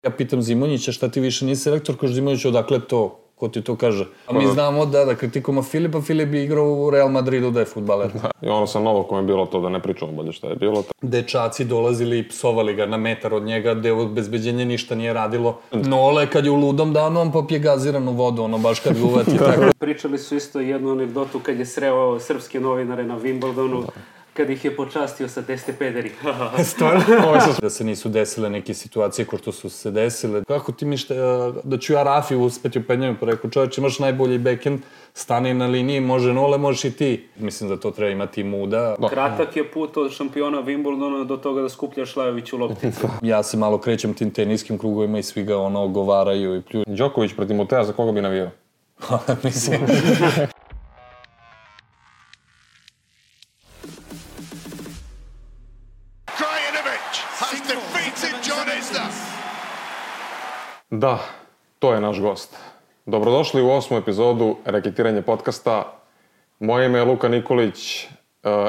Ja pitam Zimonjića šta ti više nisi selektor, kaže Zimonjić odakle to, ko ti to kaže. A mi znamo da kritikujemo Filipa, Filip je igrao u Real Madridu da je fudbaler. I ono sa Novakom je bilo to, da ne pričamo bolje šta je bilo. Dečaci dolazili i psovali ga na metar od njega, gde obezbeđenje ništa nije radilo. Nole, kad je u ludom danu, on popije gaziranu vodu, ono baš kad ga uvati tako. Pričali su isto jednu anegdotu kad je sreo srpske novinare na Wimbledonu, kad ih je počastio sa teste pederi. Stvarno? Da se nisu desile neke situacije ko što su se desile. Kako ti mišta da ću ja Rafi uspeti u penjanju? Pa rekao, čovječ, imaš najbolji backhand, stani na liniji, može Nole, možeš i ti. Mislim da to treba imati muda. Kratak je put od šampiona Wimbledona do toga da skupljaš Lajoviću lopticu. Ja se malo krećem tim teniskim krugovima i svi ga ogovaraju i pljuju. Đoković protiv Motea, za koga bi navijao? Mislim... Da, to je naš gost. Dobrodošli u 8. epizodu Reketiranje podcasta. Moje ime je Luka Nikolić.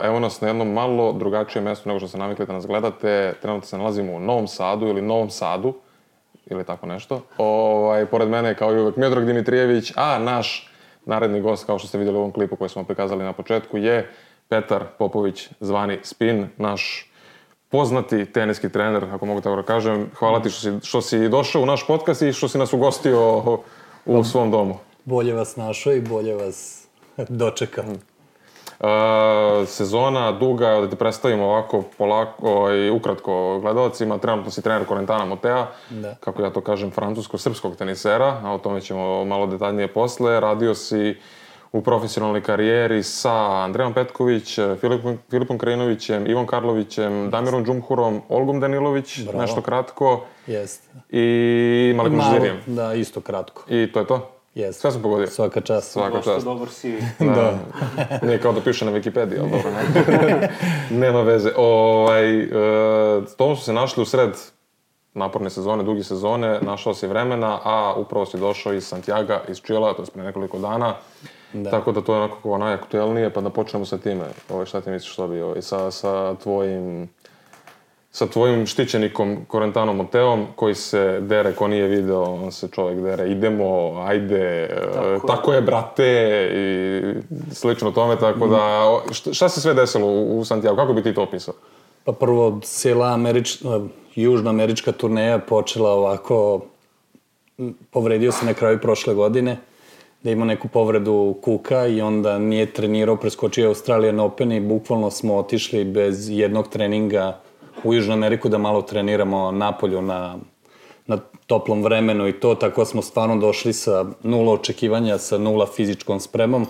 Evo nas na jednom malo drugačijem mjestu nego što se navikli da nas gledate. Trenutno se nalazimo u Novom Sadu ili Novom Sadu. Ili tako nešto. Pored mene je kao i uvek Miodrag Dimitrijević, a naš naredni gost, kao što ste vidjeli u ovom klipu koji smo prikazali na početku, je Petar Popović, zvani Spin, naš poznati teniski trener, ako mogu tako da kažem. Hvala ti što si došao u naš podcast i što si nas ugostio u svom domu. Bolje vas našao i bolje vas dočekam. Sezona duga, da te predstavimo ovako polako i ukratko gledalcima. Trenutno si trener Corentina Motea, kako ja to kažem, francusko-srpskog tenisera, a o tome ćemo malo detaljnije posle. Radio si u profesionalnoj karijeri sa Andrejom Petković, Filipom Krajinovićem, Ivom Karlovićem, Damirom Džumhurom, Olgom Danilović, nešto kratko. Jeste. I Malikom Žirijem. Da, isto kratko. I to je to? Jeste. Sve sam pogodio? Svaka čast. Dosta dobar si. Da. Nije kao da piše na Wikipediji, ali dobro. Nema veze. To su se našli u sred naporne sezone, dugi sezone, našao si vremena, a upravo si došao iz Santiaga, iz Čila, to je pre nekoliko dana. Tako da to je onako najaktuelnije, pa da počnemo sa time. Šta ti misliš što bi sa tvojim štićenikom Corentinom Moteom, koji se dere, ko nije video, on se čovjek dere, idemo, ajde, tako je brate i slično tome, tako da, šta se sve desilo u Santiago, kako bi ti to opisao? Pa prvo, cijela južnoamerička turneja počela ovako, povredio se na kraju prošle godine, da ima neku povredu kuka i onda nije trenirao, preskočio Australian Open i bukvalno smo otišli bez jednog treninga u Južnu Ameriku da malo treniramo napolju na toplom vremenu i to, tako smo došli sa 0 očekivanja, sa 0 fizičkom spremom.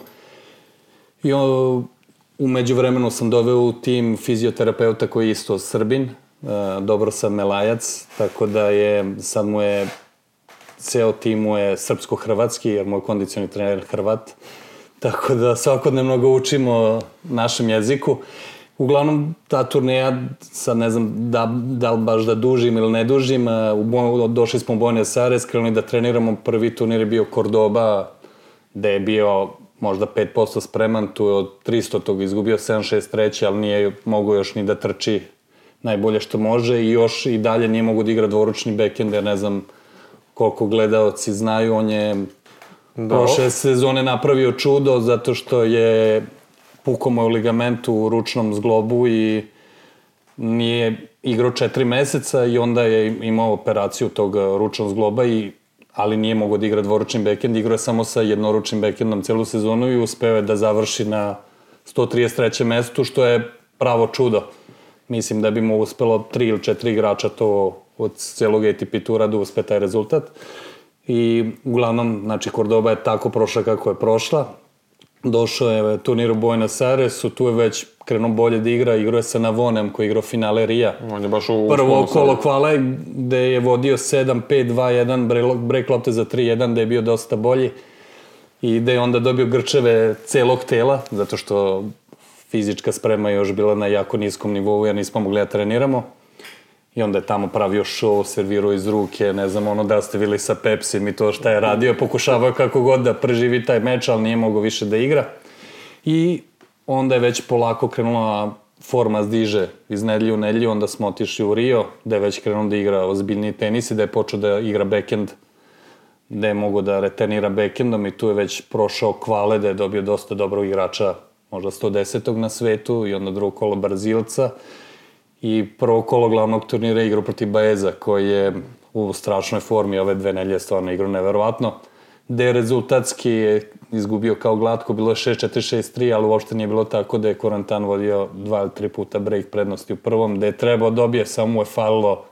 I u međuvremenu sam doveo u tim fizioterapeuta koji je isto Srbin, Dobro sam Melajac, tako da sad mu je ceo tim mu je srpsko-hrvatski, jer moj kondicioni trener je Hrvat, tako da svakodnevno ga učimo našem jeziku. Uglavnom, ta turneja, sad ne znam da li baš da dužim ili ne dužim, došli smo u Buenos Aires, krenuli da treniramo, prvi turnir je bio Cordoba, gde je bio možda 5% spreman, tu je od 300 izgubio 7-6-3, ali nije mogao još ni da trči najbolje što može i još i dalje nije mogao da igra dvoručni backhand, jer ne znam koliko gledaoci znaju, on je prošle sezone napravio čudo zato što je pukao mu ligament u ručnom zglobu i nije igrao 4 meseca i onda je imao operaciju tog ručnog zgloba, ali nije mogao da igra dvoručni backhand, igrao je samo sa jednoručnim backhandom celu sezonu i uspeo je da završi na 133. mestu, što je pravo čudo. Mislim da bi mu uspelo 3 ili 4 igrača to od celog ATP tura da uspe taj rezultat. I uglavnom, znači, Cordoba je tako prošla kako je prošla. Došao je turnir u Buenos Airesu, tu je već krenuo bolje da igrao je sa Navonem koji je igrao finale Rija. On je baš u prvo kolo kvala gde je vodio 7-5-2-1, break lopte za 3-1, da je bio dosta bolji i da je onda dobio grčeve celog tela, zato što fizička sprema je još bila na jako niskom nivou, jer nismo mogli da treniramo. I onda je tamo pravio show, servirao iz ruke, ne znam, da ste bili sa Pepsim i to šta je radio, pokušavao kako god da preživi taj meč, ali nije mogao više da igra. I onda je već polako krenula forma zdiže iz nedelju u nedelju, onda smo otišli u Rio, gde je već krenuo da igra ozbiljniji tenis i da je počeo da igra backhand, gde je mogo da returnira backhandom i tu je već prošao kvale, da je dobio dosta dobrog igrača, možda 110. na svetu i onda drugo kolo Brazilca i prvo kolo glavnog turnira igrao protiv Baeza, koji je u strašnoj formi ove 2 nedelje stvarno igrao neverovatno, gde rezultatski je izgubio kao glatko, bilo je 6-4, 6-3, ali uopšte nije bilo tako da je Corentin vodio 2 ili 3 puta break prednosti u prvom, gde je trebao dobije, samo mu je falilo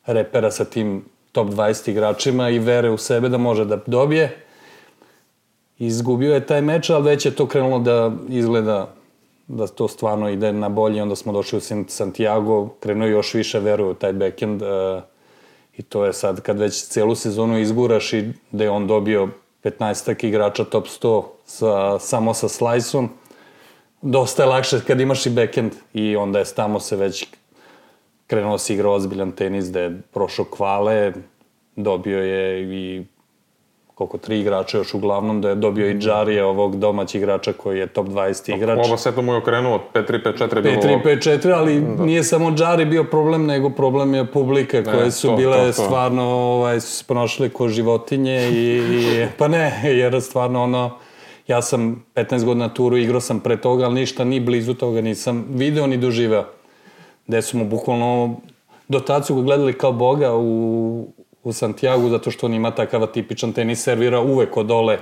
repera sa tim top 20 igračima i vere u sebe da može da dobije. Izgubio je taj meč, ali već je to krenulo da izgleda da to stvarno ide na bolje, onda smo došli u Santiago, krenuo još više veruje u taj backhand i to je sad kad već celu sezonu izguraš i da je on dobio 15 igrača top 100 samo sa slice-om, dosta je lakše kad imaš i backhand i onda je tamo se već krenuo se igrao ozbiljan tenis, da je prošao kvale, dobio je i koliko 3 igrača još uglavnom, da je dobio i Džarija, ovog domaćeg igrača koji je top 20 igrač. Oba seta mu je okrenuo, 5-3, 5-4 bilo... 5-3, 5-4, ali nije samo Džari bio problem, nego problem je publika koje su bile stvarno, su se ponašali ko životinje i pa ne, jer stvarno ono, ja sam 15 godina turu, igrao sam pre toga, ali ništa, ni blizu toga nisam video ni doživeo. Gde su mu bukvalno, do tad su ga gledali kao boga u Santiago, zato što on ima takav tipičan tenis, servira uvek od dole,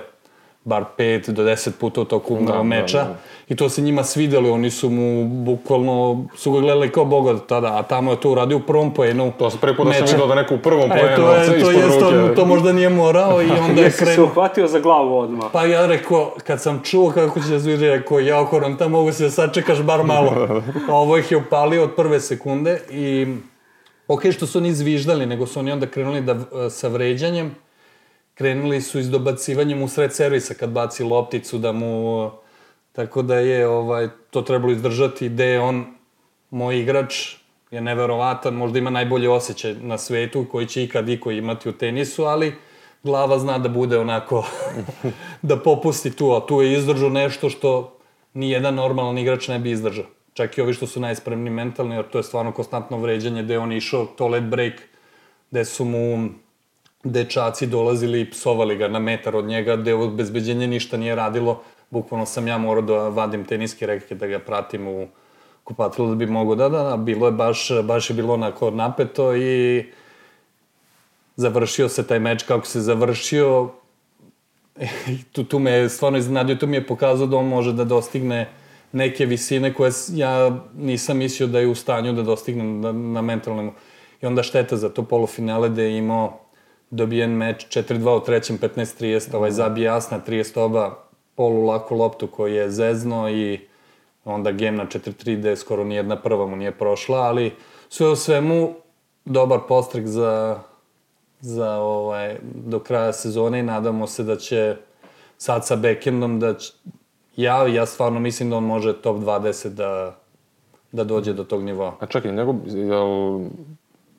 bar 5 do 10 puta u toku meča. I to se njima svidjeli, oni su mu bukvalno, su ga gledali kao boga tada, a tamo je to uradio u prvom poenu. To se prvi put da sam vidio da neko u prvom poenu ispod ruke. To možda nije morao i onda je krenuo. Jesi se uhvatio za glavu odmah? Pa ja rekao, kad sam čuo kako će da zviri, rekao, ja Corentin, mogu se da sačekaš bar malo. Ovo ih je upalio od prve sekunde i ok, što su oni izviždali, nego su oni onda krenuli sa vređanjem, krenuli su iz dobacivanjem u sred servisa kad baci lopticu da mu... Tako da je to trebalo izdržati, gde je on, moj igrač, je neverovatan, možda ima najbolji osjećaj na svetu koji će ikad iko imati u tenisu, ali glava zna da bude onako, da popusti tu, a tu je izdržao nešto što nijedan normalan igrač ne bi izdržao. Čak i ovi što su najspremni mentalni, jer to je stvarno konstantno vređanje, gde je on išao toilet break, gde su mu dečaci dolazili i psovali ga na metar od njega, gde obezbeđenje ništa nije radilo. Bukvalno sam ja morao da vadim teniske reke, da ga pratim u kupatilu da bi mogo bilo je baš je bilo onako napeto i završio se taj meč kako se završio. Tu me je stvarno iznenadio, tu mi je pokazao da on može da dostigne neke visine koje ja nisam mislio da je u stanju da dostigne na mentalnom. I onda šteta za to polufinale da je imao dobijen meč 4-2 u trećem, 15-30, zabije jasna 30 oba polu laku loptu koji je zezno i onda game na 4-3 gde skoro nijedna prva mu nije prošla, ali sve u svemu dobar postrek za do kraja sezone i nadamo se da će sad sa backhandom da će, ja stvarno mislim da on može top 20 da dođe do tog nivoa. A čekaj,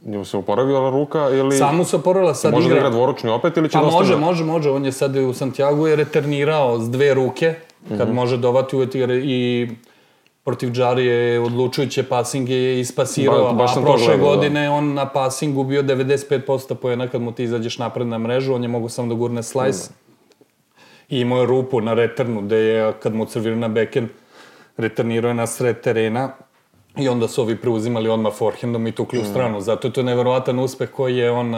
njemu se oporavila ruka ili... Samo se oporavila, sad igra. Može da igra dvoručni opet ili će da dosta... Pa može, on je sad u Santiago je returnirao s 2 ruke, kad može dovati uvijek i protiv Džarije je odlučujuće pasinge je ispasirao, a prošle godine on na pasingu bio 95% poena kad mu ti izađeš napred na mrežu, on je mogu samo da gurne slice. I imao je rupu na returnu, gde je, kad mu servirao na backhand, returnirao je na sred terena i onda su ovi preuzimali odmah forehandom i tukli u stranu. Zato je to neverovatan uspeh koji je on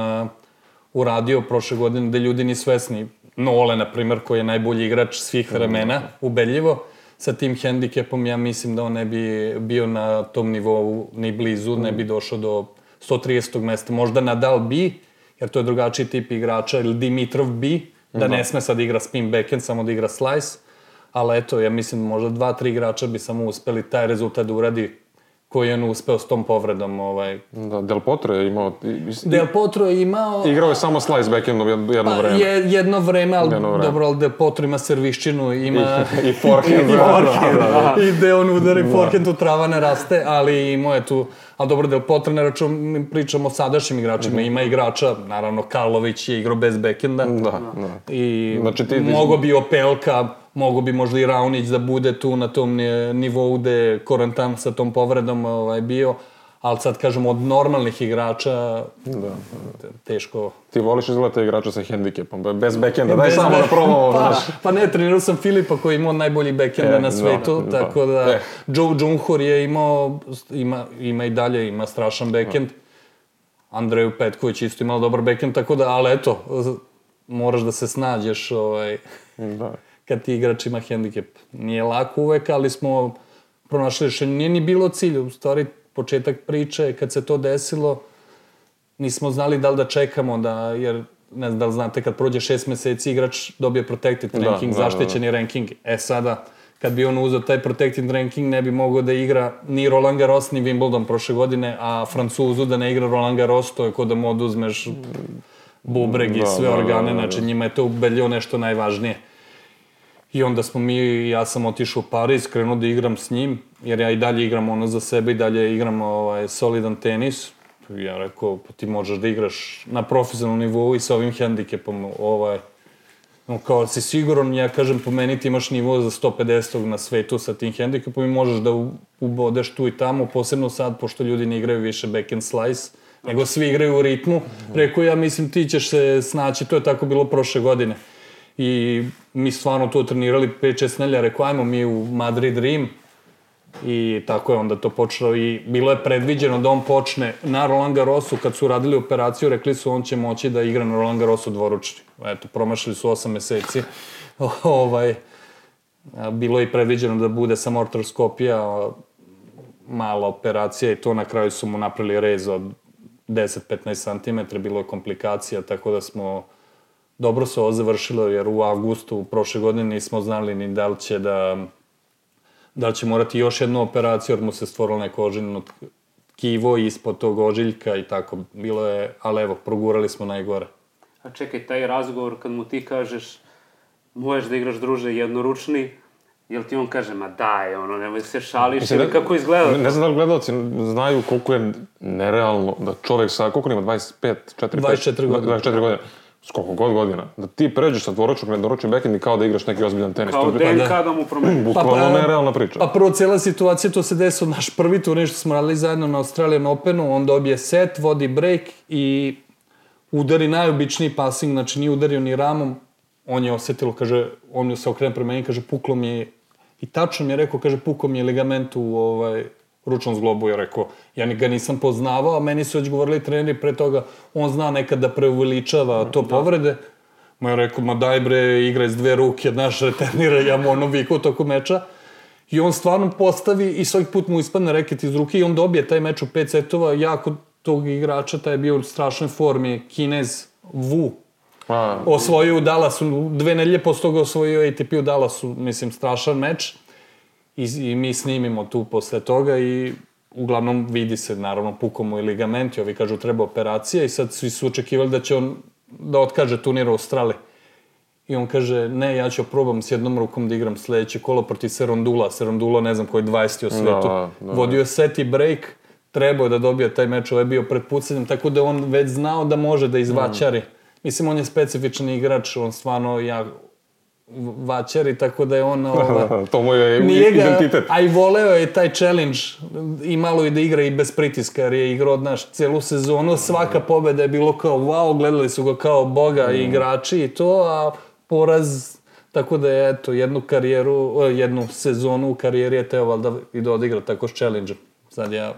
uradio prošle godine, gde ljudi nisu svesni. Nole, na primjer, koji je najbolji igrač svih vremena, ubedljivo. Sa tim hendikepom ja mislim da on ne bi bio na tom nivou ni blizu, ne bi došao do 130. mesta. Možda Nadal bi, jer to je drugačiji tip igrača, ili Dimitrov bi, da ne sme sad igra spin backhand, samo da igra slice. Ali eto, ja mislim možda 2-3 igrača bi samo uspeli taj rezultat da uradi koji je on uspeo s tom povredom. Da, Del Potro je imao... Del Potro je imao... Igrao je samo slice backhandom jedno vreme. Jedno vreme, ali dobro, ali Del Potro ima serviščinu, ima... I forehand. I gde on udari forehand, tu trava ne raste, ali imao je tu... Ali dobro, Del Potro ne pričamo o sadašnjim igračima, ima igrača, naravno, Karlović je igrao bez backhanda. Da. I mogo bi Opelka, mogo bi možda i Raonić da bude tu na tom nivou gde je Corentin sa tom povredom bio, ali sad kažem od normalnih igrača teško. Ti voliš izgledati igrača sa hendikepom, bez backenda, daj samo da probamo, znaš. Pa ne, trenirao sam Filipa koji je imao najbolji backenda na svetu, tako da Joe Džunhur je imao, ima i dalje, ima strašan backend. Andreju Petković isto imao dobar backend, tako da, ali eto, moraš da se snađeš kad ti igrač ima hendikep. Nije lako uvek, ali smo pronašli rešenje. Nije ni bilo cilj, u stvari početak priče, kad se to desilo, nismo znali da li da čekamo, jer ne znam da li znate, kad prođe 6 meseci igrač dobije protected ranking, zaštićeni ranking. Sada, kad bi on uzeo taj protected ranking, ne bi mogao da igra ni Roland Garros, ni Wimbledon prošle godine, a Francuzu da ne igra Roland Garros, to je kod da mu oduzmeš bubreg i sve organe, znači njima je to ubedljivo nešto najvažnije. I onda smo ja sam otišao u Pariz, krenuo da igram s njim, jer ja i dalje igram ono za sebe i dalje igram solidan tenis. Ja rekao, ti možeš da igraš na profesionalnom nivou i sa ovim hendikepom, kao si siguran, ja kažem, po meni ti imaš nivo za 150 na svetu sa tim hendikepom i možeš da ubodeš tu i tamo, posebno sad, pošto ljudi ne igraju više backhand slice, nego svi igraju u ritmu. Rekao, ja mislim, ti ćeš se snaći, to je tako bilo prošle godine. I mi stvarno to trenirali 5-6 nelja, rekao, ajmo mi u Madrid, Rim, i tako je onda to počelo i bilo je predviđeno da on počne na Roland Garrosu, kad su radili operaciju, rekli su on će moći da igra na Roland Garrosu dvoručni. Eto, promašili su 8 meseci. Bilo je i predviđeno da bude samo artroskopija, mala operacija i to na kraju su mu napravili rez od 10-15 cm, bilo je komplikacija, tako da smo dobro se ovo završilo, jer u avgustu prošle godine nismo znali ni da li će morati još jednu operaciju, jer mu se stvorilo neko ožiljno tkivo ispod tog ožiljka i tako. Bilo je, ali evo, progurali smo najgore. A čekaj, taj razgovor kad mu ti kažeš možeš da igraš, druže, jednoručni, jel ti on kaže, ma daj, nemoj se šališ, ili kako izgleda? Ne znam da li gledalci znaju koliko je nerealno da čovjek sa, koliko ima, 25, 24 godine. 24 godine. S koliko god godina. Da ti pređeš sa dvoročnog na jednoručni backhand i kao da igraš neki ozbiljan tenis. Kao DNK da mu promeni. Bukvalno nerealna priča. Pa prvo, cijela situacija, to se desilo naš prvi turnir što smo radili zajedno na Australian Openu, on dobije set, vodi break i udari najobičniji passing, znači nije udario ni ramom, on je osetilo, kaže, on se okrene prema meni, kaže, puklo mi je, i tačno mi je rekao, kaže, puklo mi je ligament u ručnom zglobu, je rekao, ja ga nisam poznavao, a meni su već govorili treneri pre toga, on zna nekad da preuveličava to povrede. Ma je rekao, ma daj bre, igraj s 2 ruke, znaš, reternira, ja mu vikao toku meča. I on stvarno postavi i svaki put mu ispadne reket iz ruke i on dobije taj meč u 5 setova, jako tog igrača, taj je bio u strašnoj formi, Kinez Wu. Osvojio u Dallasu, 2 nedelje posle toga osvojio ATP u Dallasu, mislim, strašan meč. I mi snimimo tu posle toga i uglavnom vidi se, naravno, pukao mu i ligament i ovi kažu treba operacija i sad svi su očekivali da će on da otkaže turnir u Australiji. I on kaže, ne, ja ću probam s jednom rukom da igram sledeće kolo protiv Serondula. Serondula, ne znam koji je 20. u svetu. Vodio je set i break, trebao je da dobije taj meč, ovaj je bio pred pucanjem, tako da on već znao da može da izvačari. Mislim, on je specifičan igrač, on stvarno vaćari, tako da je on... To mu je identitet. A i voleo je taj challenge i malo i da igra i bez pritiska, jer je igrao, znaš, celu sezonu, svaka pobeda je bilo kao wow, gledali su ga kao boga i igrači i to, a poraz, tako da je, eto, jednu sezonu u karijeri je teo valjda i da odigra tako s challenge-em. Sad ja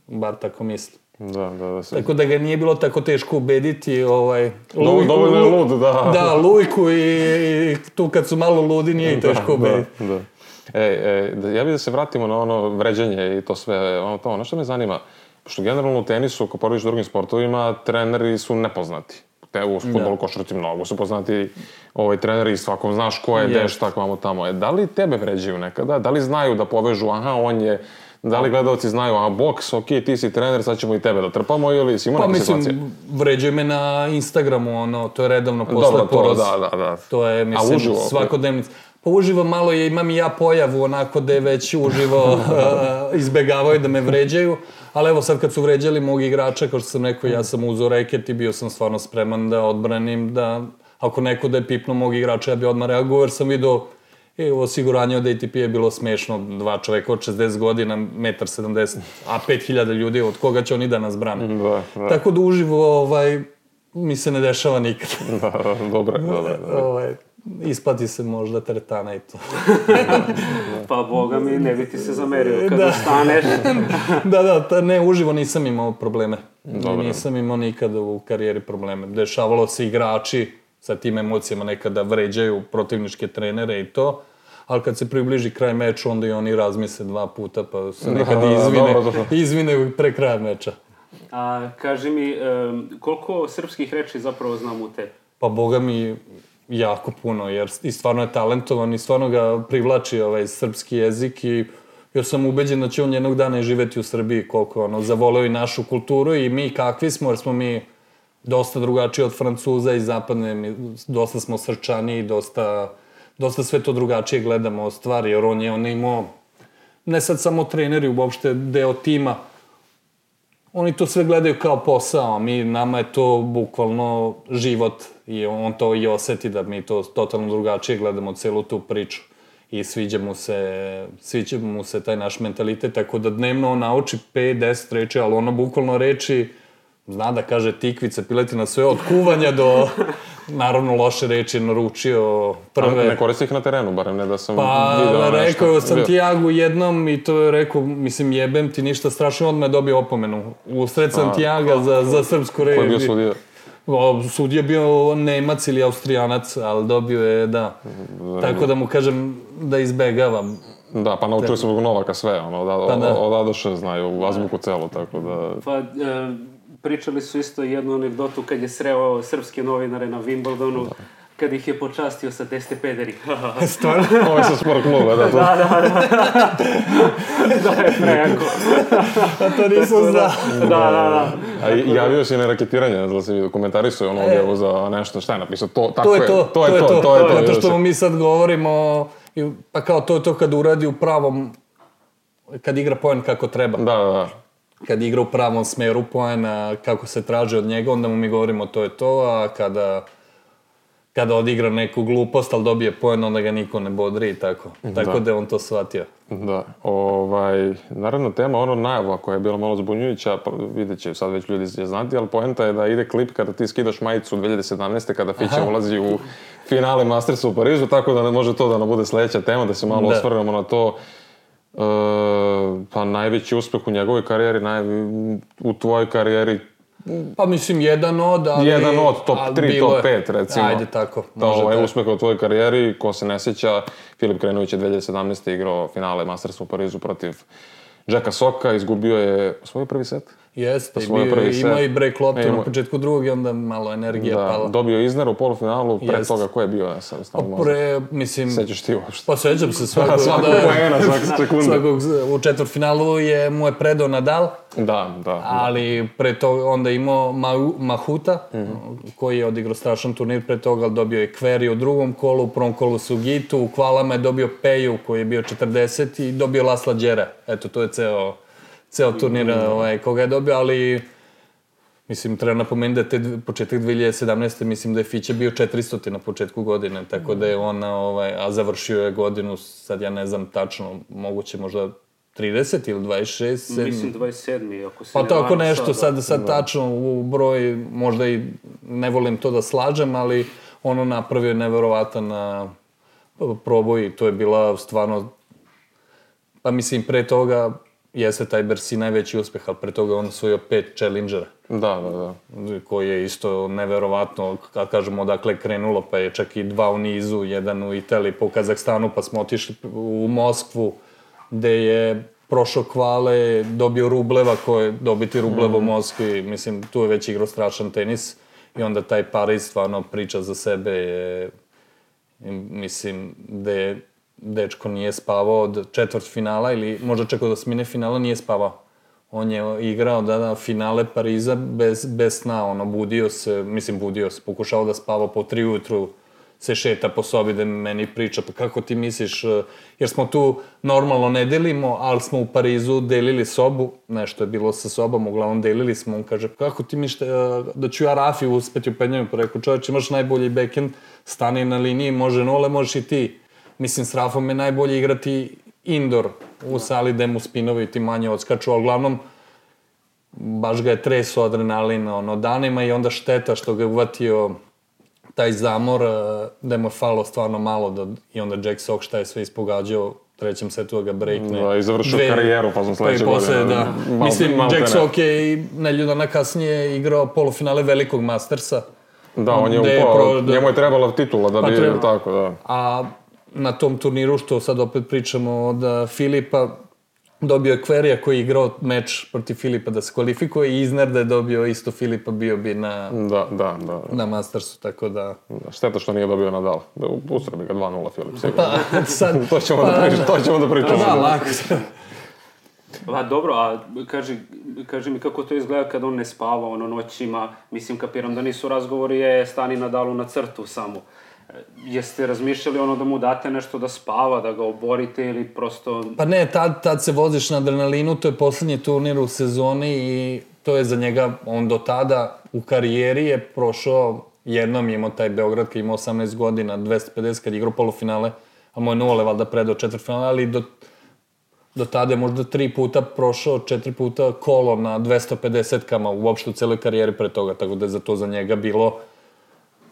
bar tako mislim. Da. Tako da ga nije bilo tako teško ubediti, dovoljno je lud, da. Da, Lujku i tu kad su malo ludi nije i teško ubediti. Ja bih da se vratimo na ono vređanje i to sve, ono što me zanima, pošto generalno u tenisu, ako porodiš drugim sportovima, treneri su nepoznati. U fudbalu, košarci mnogo su poznati treneri i svakom znaš ko je, gde, šta, kvamo tamo. Da li tebe vređaju nekada? Da li znaju da povežu, aha, on je... Da li gledalci znaju, a boks, ok, ti si trener, sad ćemo i tebe da trpamo, ili si imao neke situacije? Pa mislim, vređaju me na Instagramu, to je redovno posle poroza. Da. To je, mislim, svakodnevnica. Pa uživo malo imam i ja pojavu, onako da je već uživo izbegavaju da me vređaju, ali evo sad kad su vređali mog igrača, kao što sam rekao, ja sam uzeo reket i bio sam stvarno spreman da odbranim, da ako neko da je pipnuo mog igrača, ja bi odmah reagovao, jer sam vidio I osiguranje od ATP je bilo smešno, 2 čoveka od 60 godina, 1,70 m, a 5000 ljudi, od koga će oni da nas brane. Da. Tako da uživo mi se ne dešava nikad. Dobro. Isplati se možda teretana i to. Pa boga mi, ne bi ti se zamerio kada staneš. Ne, uživo nisam imao probleme. Dobro. Nisam imao nikada u karijeri probleme. Dešavalo se igrači sa tim emocijama nekada vređaju protivničke trenere i to, ali kad se približi kraj meča, onda i oni razmisle 2 puta, pa se nekada izvine pre kraja meča. A kaži mi, koliko srpskih reči zapravo znam u tebi? Pa boga mi jako puno, jer i stvarno je talentovan i stvarno ga privlači srpski jezik i ja sam ubeđen da će on jednog dana i živeti u Srbiji, koliko zavoleo i našu kulturu i mi kakvi smo, jer smo mi dosta drugačiji od Francuza i zapadne, dosta smo srčani, dosta sve to drugačije gledamo stvari, jer on je imao, ne sad samo treneri, uopšte deo tima, oni to sve gledaju kao posao, a nama je to bukvalno život i on to i oseti da mi to totalno drugačije gledamo celu tu priču i sviđa mu se taj naš mentalitet, tako da dnevno on nauči 5-10 reči, ali ono bukvalno reči, zna da kaže tikvice, piletina, sve od kuvanja do, naravno, loše reči naručio prve. Ne koristi ih na terenu, barem ne da sam video nešto. Pa, rekao je o Santiagu jednom i to je rekao, mislim, jebem ti ništa strašno, odmah je dobio opomenu. U sred Santiaga za srpsku reč. Ko je bio sudija? Sudija je bio Nemac ili Austrijanac, ali dobio je, da. Tako da mu kažem da izbegavam. Da, pa naučili su zbog Novaka sve, od A do Š znaju, azbuku celu, tako da... Pa, pričali su isto jednu anegdotu kad je sreo srpske novinare na Wimbledonu, kad ih je počastio sa Teste Pederi. Stvarno? Ovo je sa sport kluba, da. Da je prejako. A to nisam znao. Da. A javio si na raketiranje, da si komentarisao ono objavu za nešto, šta je napisao? To je to. Zato što mi sad govorimo, pa kao to je to kad uradi u pravom, kad igra poen kako treba. Da. Kad igra u pravom smeru poena, kako se traži od njega, onda mu mi govorimo to je to, a kada odigra neku glupost, ali dobije poen, onda ga niko ne bodri i tako. Tako da je on to shvatio. Da. Naravno, tema, najava koja je bila malo zbunjujuća, vidjet će sad već ljudi znati, ali poenta je da ide klip kada ti skidaš majicu 2017. kada Fića ulazi u finale Mastersa u Parizu, tako da ne može to da nam bude sledeća tema, da se malo osvrnemo na to. Pa najveći uspeh u njegovoj karijeri, u tvojoj karijeri. Pa mislim, jedan od top 3, top 5 recimo. Ajde tako. To je uspeh u tvojoj karijeri, ko se ne sjeća, Filip Krenović je 2017. igrao finale Mastersa u Parizu protiv Jacka Socka, izgubio je svoj prvi set. Jeste, imao i break loptu na početku drugog i onda malo energija pala. Dobio Isner u polufinalu, pre toga ko je bio? Sećaš ti uopšte? Pa sećam se svakog poena, svake sekunde. U četvrtfinalu mu je predao Nadal, da. Ali pre toga onda imao Mahuta, koji je odigrao strašan turnir pre toga, ali dobio je Kveri u drugom kolu, u prvom kolu Sugitu, u kvalama je dobio Peju koji je bio 40 i dobio Lasla Đera. Eto, to je ceo turnir koga je dobio, ali mislim, treba napomenuti da je početak 2017. mislim da je Fića bio 400 na početku godine, tako da je on, a završio je godinu, sad ja ne znam tačno, moguće možda 30 ili 26? Mislim 27. ako se pa tako nešto, sad tačno u broj, možda i ne volim to da slažem, ali ono napravio neverovatan proboj i to je bila stvarno, pa mislim pre toga jeste taj Bercy najveći uspeh, ali pre toga on osvojio 5 Challengera. Da. Koji je isto neverovatno, kad kažemo odakle je krenulo, pa je čak i 2 u nizu, 1 u Italiji, pa u Kazahstanu, pa smo otišli u Moskvu, gde je prošao kvale, dobio Rubleva, dobiti Rubleva u Moskvi, mislim, tu je već igrao strašan tenis i onda taj Pariz stvarno priča za sebe, mislim, gde dečko nije spavao od četvrtfinala ili možda čak od osmine finala nije spavao. On je igrao finale Pariza bez sna, budio se, pokušao da spava po 3 ujutru, se šeta po sobi da meni priča, pa kako ti misliš, jer smo tu normalno ne delimo, ali smo u Parizu delili sobu, nešto je bilo sa sobom, uglavnom delili smo, on kaže, kako ti misliš da ću ja Rafi uspeti u penjanju, pa rekao, čovječ, imaš najbolji backhand, stani na liniji, može nole, možeš i ti. mislim, s Rafom je najbolje igrati indoor u sali gde mu spinovi ti manje odskaču, ali uglavnom baš ga je treso adrenalin danima i onda šteta što ga je uvatio taj zamor, da mu je falo stvarno malo i onda Jack Sock šta je sve ispogađao u trećem setu da ga breakne. Da, i završio karijeru pa sam sledeće godine. Da. Mislim, Jack Sock je i nedelju dana kasnije igrao polufinale velikog Mastersa. Da, on je upao, njemu je trebala titula da bi tako, da. A na tom turniru, što sad opet pričamo od Filipa, dobio je Querrey koji je igrao meč protiv Filipa da se kvalifikuje i Isner da je dobio isto Filipa, bio bi na Mastersu, tako da... Šteta što nije dobio Nadal. Usre bi ga 2-0 Filip, sigurno. To ćemo da pričamo. Da, lako. Dobro, a kaži mi kako to izgleda kad on ne spava noćima, mislim kapiram da nisu razgovori stani Nadalu na crtu samo. Jeste razmišljali da mu date nešto da spava, da ga oborite ili prosto... Pa ne, tad se voziš na adrenalinu, to je poslednji turnir u sezoni i to je za njega, on do tada u karijeri je prošao, jednom je imao taj Beograd kad je imao 18 godina, 250 kad je igrao polufinale, a mu je Nole valjda predao četvrtfinale, ali do tada je možda 3 puta prošao, 4 puta kolo na 250-kama uopšte u celoj karijeri pre toga, tako da je to za njega bilo,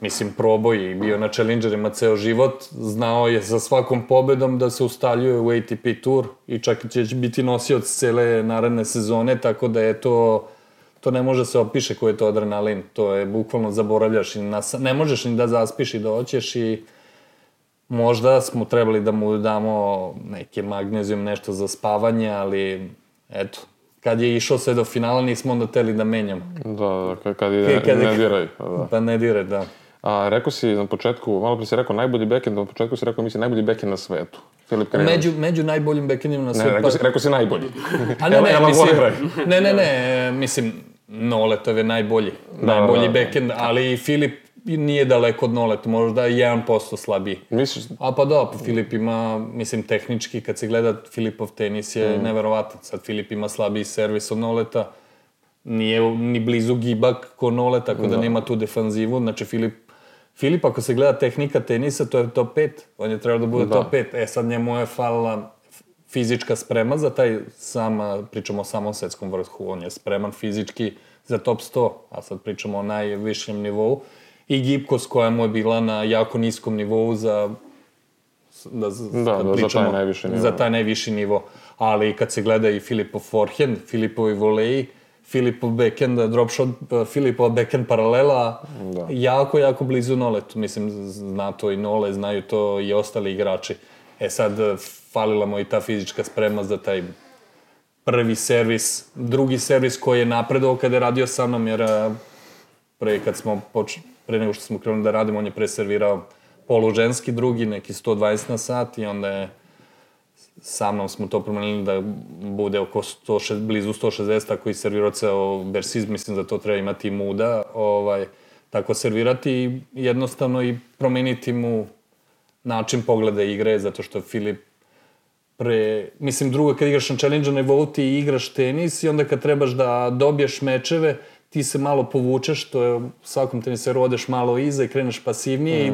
mislim, proboj i bio na Challengerima ceo život, znao je sa svakom pobedom da se ustaljuje u ATP Tour i čak će biti nosioc cele naredne sezone, tako da je to ne može se opiše koji je to adrenalin, to je bukvalno zaboravljaš i ne možeš ni da zaspiš i da hoćeš i možda smo trebali da mu damo neke magnezijum, nešto za spavanje, ali eto, kad je išao sve do finala nismo onda teli da menjamo. Da, kad je ne diraj. Pa ne diraj, da. A rekao si na početku, malo pre si rekao najbolji backhand, na početku si rekao mislim najbolji backhand na svetu. Filip Krajinović. Među najboljim backhandima na svetu. Ne, rekao si najbolji. A ne, mislim, Noletov je najbolji backhand, ali Filip nije daleko od Noleta, možda 1% slabiji. Misliš? A pa da, Filip ima, mislim, tehnički, kad se gleda Filipov tenis je neverovatan. Sad Filip ima slabiji servis od Noleta, nije ni blizu gibak ko Nole, tako da nema tu defanzivu. Znači, Filip, ako se gleda tehnika tenisa, to je top 5. On je trebao da bude top 5. Sad njemu je falila fizička sprema za taj pričamo o samom svetskom vrhu. On je spreman fizički za top 100, a sad pričamo o najvišem nivou. I gibkost koja mu je bila na jako niskom nivou za taj najviši nivo. Ali kad se gleda i Filipov forehand, Filipovi voleji, Filipov backhand, drop shot, Filipov backhand paralela, jako blizu Noletu. Mislim, zna to i Nole, znaju to i ostali igrači. Sad, falila mu i ta fizička sprema za taj prvi servis, drugi servis koji je napredovao kada je radio sa mnom, jer pre nego što smo krenuli da radimo, on je preservirao poluženski drugi, neki 120 na sat i onda je sa mnom smo to promenili da bude oko blizu 160, tako i servirao ceo Bersiz, mislim da to treba imati muda, tako servirati i jednostavno i promeniti mu način pogleda igre, zato što Filip mislim, drugo, kad igraš na Challenger nivou, ti igraš tenis i onda kad trebaš da dobiješ mečeve, ti se malo povučeš, to je u svakom teniseru odeš malo iza i kreneš pasivnije i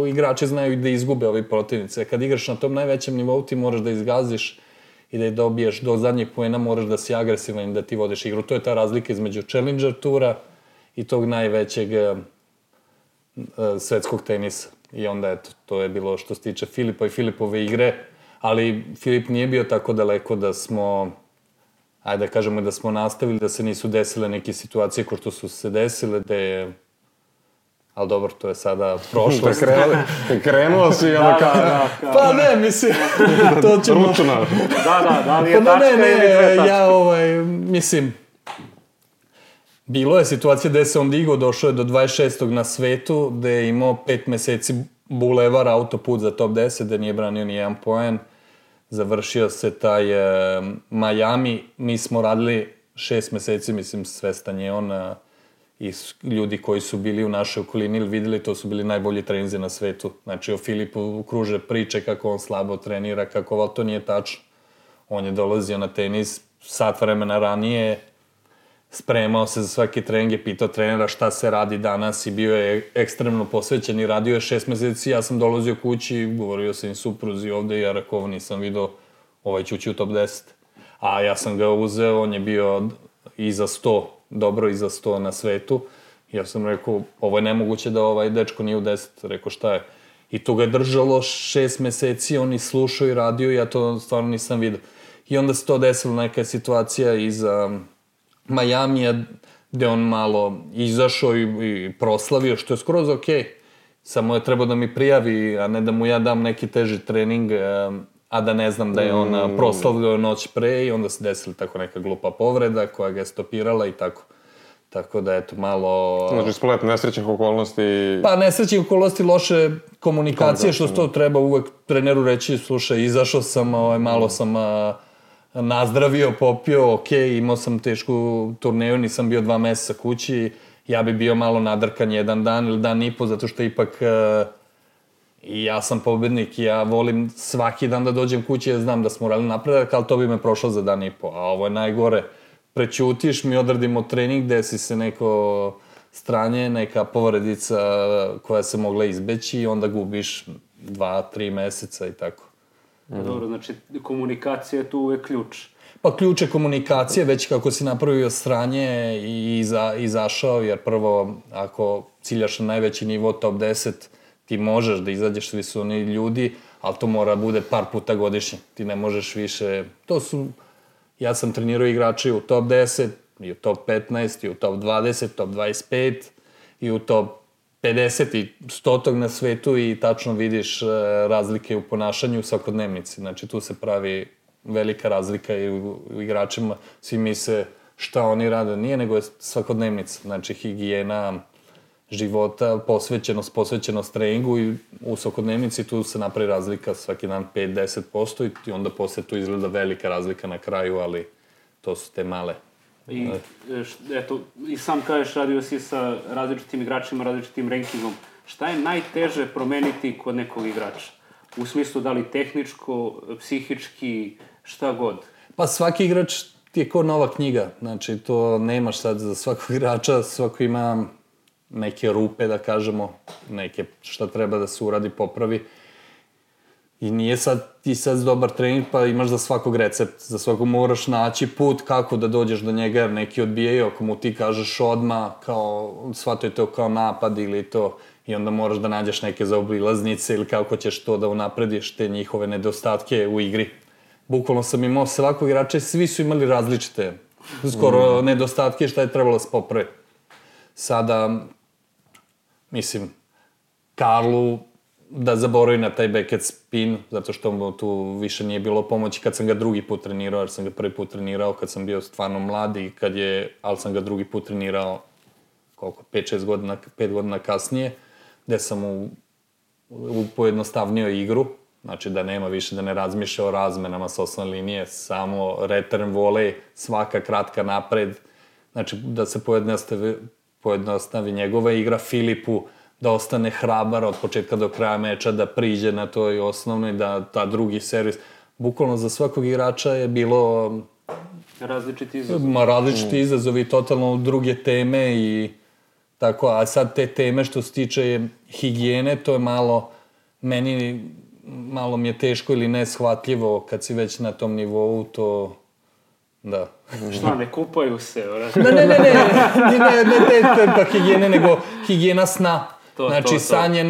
igrači znaju da izgube ovi protivnice. Kad igraš na tom najvećem nivou, ti moraš da izgaziš i da je dobiješ do zadnjeg poena, moraš da si agresivan i da ti vodiš igru. To je ta razlika između Challenger tura i tog najvećeg svetskog tenisa. I onda, eto, to je bilo što se tiče Filipa i Filipove igre, ali Filip nije bio tako daleko da smo, ajde da kažemo da smo nastavili, da se nisu desile neke situacije ko što su se desile, da je, ali dobro, to je sada prošlost. Krenuo si, ono Pa ne, mislim, to ćemo... Ručuna. Da li je tačka ili dve tačke? Mislim, bilo je situacija gde se on digao, došao je do 26. na svetu, gde je imao 5 meseci bulevar, autoput za top 10, gde nije branio ni jedan poen. Završio se taj Miami, mi smo radili 6 meseci, mislim, svestan je on i ljudi koji su bili u našoj okolini ili videli, to su bili najbolji treninzi na svetu. Znači, o Filipu kruže priče kako on slabo trenira, kako to nije tačno. On je dolazio na tenis sat vremena ranije, spremao se za svaki trening, je pitao trenera šta se radi danas i bio je ekstremno posvećen i radio je 6 meseci. Ja sam dolazio kući i govorio sam im supruzi ovde i ja rekao, nisam vidio, ovaj ću ući u top 10. A ja sam ga uzeo, on je bio iza 100, dobro iza 100 na svetu. Ja sam rekao, ovo je nemoguće da ovaj dečko nije u 10. Rekao, šta je? I to ga je držalo 6 meseci, on i slušao i radio, ja to stvarno nisam vidio. I onda se to desilo, neka situacija iza Majamija, gde on malo izašao i proslavio, što je skroz okej. Samo je trebao da mi prijavi, a ne da mu ja dam neki teži trening, a da ne znam da je on proslavio noć pre i onda se desila tako neka glupa povreda koja ga je stopirala i tako. Tako da, eto, malo... Znači, splet nesrećnih okolnosti... Pa, nesrećnih okolnosti, loše komunikacije, što to treba uvek treneru reći, slušaj, izašao sam, malo sam nazdravio, popio, okej, imao sam tešku turneju, nisam bio 2 meseca kući, ja bi bio malo nadrkan jedan dan ili dan i po, zato što ipak i ja sam pobednik i ja volim svaki dan da dođem kući, ja znam da smo urali napredak, ali to bi me prošlo za dan i po, a ovo je najgore. Prećutiš, mi odradimo trening, desi se neko stranje, neka povredica koja se mogla izbeći i onda gubiš 2-3 meseca i tako. Dobro, znači komunikacija je tu uvek ključ. Pa ključ je komunikacije, već kako si napravio sranje i izašao, jer prvo, ako ciljaš na najveći nivo top 10, ti možeš da izađeš, svi su oni ljudi, ali to mora bude par puta godišnje. Ti ne možeš više, ja sam trenirao igrače u top 10, i u top 15, i u top 20, top 25, i u top 50 i 100 na svetu i tačno vidiš razlike u ponašanju u svakodnevnici. Znači, tu se pravi velika razlika i u igračima. Svi misle šta oni rade, nije, nego je svakodnevnica. Znači, higijena života, posvećenost treningu i u svakodnevnici tu se napravi razlika svaki dan 5-10% i onda posle tu izgleda velika razlika na kraju, ali to su te male. I, eto, i sam kažeš, radio si sa različitim igračima, različitim rankingom. Šta je najteže promeniti kod nekog igrača? U smislu da li tehničko, psihički, šta god? Pa svaki igrač ti je kao nova knjiga. Znači, to nemaš sad za svakog igrača, svako ima neke rupe, da kažemo, neke šta treba da se uradi, popravi. I nije ti sad dobar trening, pa imaš za svakog recept. Za svakog moraš naći put kako da dođeš do njega, jer neki odbijaju. Ako mu ti kažeš odmah, kao, shvatuje to kao napad ili to, i onda moraš da nađeš neke zaobilaznice ili kako ćeš to da unaprediš te njihove nedostatke u igri. Bukvalno sam imao svakog igrača i svi su imali različite, skoro nedostatke šta je trebalo da se popravi. Sada, mislim, Karlu da zaboravi na taj backhand spin, zato što mu tu više nije bilo pomoći kad sam ga drugi put trenirao, jer sam ga prvi put trenirao kad sam bio stvarno mlad i ali sam ga drugi put trenirao 5 godina kasnije, gde sam mu pojednostavnio igru, znači da nema više, da ne razmišlja o razmenama sa osnovne linije, samo return volej, svaka kratka napred, znači da se pojednostavi njegova igra, Filipu da ostane hrabar od početka do kraja meča, da priđe na toj osnovnoj, da ta drugi servis. Bukvalno za svakog igrača je bilo različiti izazovi, totalno druge teme i tako, a sad te teme što se tiče higijene, to je malo mi je teško ili neshvatljivo kad si već na tom nivou, to da. Šta, ne kupaju se? Ne te higijene, nego higijena sna. Znači, san je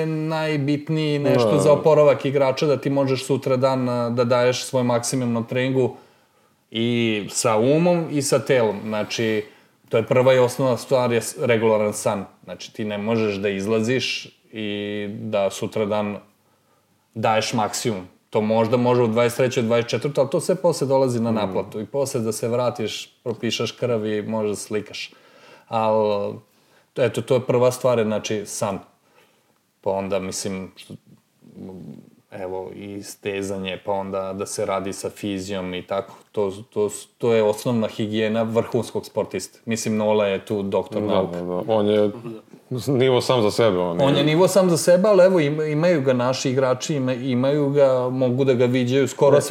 najbitniji nešto za oporavak igrača, da ti možeš sutra dan da daješ svoj maksimum na treningu i sa umom i sa telom. Znači, to je prva i osnovna stvar, je regularan san. Znači, ti ne možeš da izlaziš i da sutra dan daješ maksimum. To možda može u 23. 24. ali to sve posle dolazi na naplatu. I posle da se vratiš, propišaš krv i možda da slikaš. Ali, eto, to je prva stvar, znači san. Pa onda, mislim, evo, i stezanje, pa onda da se radi sa fizijom i tako. To je osnovna higijena vrhunskog sportiste. Mislim, Nola je tu doktor nauka. On je nivo sam za sebe. On je nivo sam za sebe, ali evo imaju ga naši igrači, imaju ga, mogu da ga viđaju skoro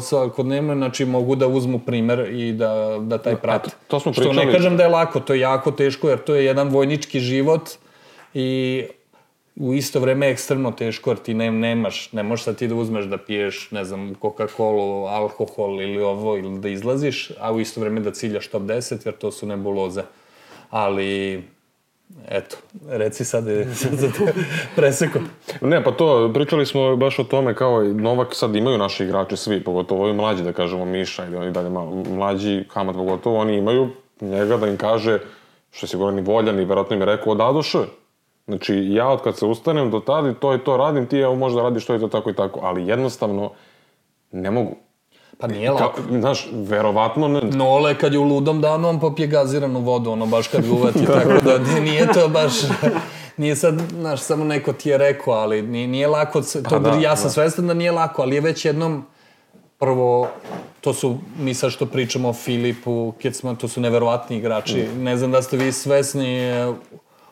svakodnevno, znači mogu da uzmu primer i da taj prate. To smo pričali. Što ne kažem da je lako, to je jako teško jer to je jedan vojnički život i u isto vreme ekstremno teško jer ti ne možeš sad ti da uzmeš da piješ, ne znam, Coca-Cola, alkohol ili ovo, ili da izlaziš, a u isto vreme da ciljaš top 10 jer to su nebuloze. Ali, eto, reci sad za te preseko. Ne, pa to, pričali smo baš o tome kao i Novak sad imaju naši igrači svi, pogotovo ovi mlađi, da kažemo Miša i dalje malo mlađi, Hamad pogotovo, oni imaju njega da im kaže, što je sigurno ni voljan i verovatno im je rekao odadoše. Znači, ja od kad se ustanem do tada i to radim, ti evo možda radiš to i to tako i tako, ali jednostavno ne mogu. Pa nije lako. Znaš, verovatno ne... Nole, kad je u ludom danu, on popije gaziranu vodu, ono, baš kad ga uvati, tako da nije to baš... Nije sad, znaš, samo neko ti je rekao, ali nije lako, ja sam svestan da nije lako, ali je već jednom, prvo, to su, mi sad što pričamo o Filipu, Kecman, to su neverovatni igrači, ne znam da ste vi svesni,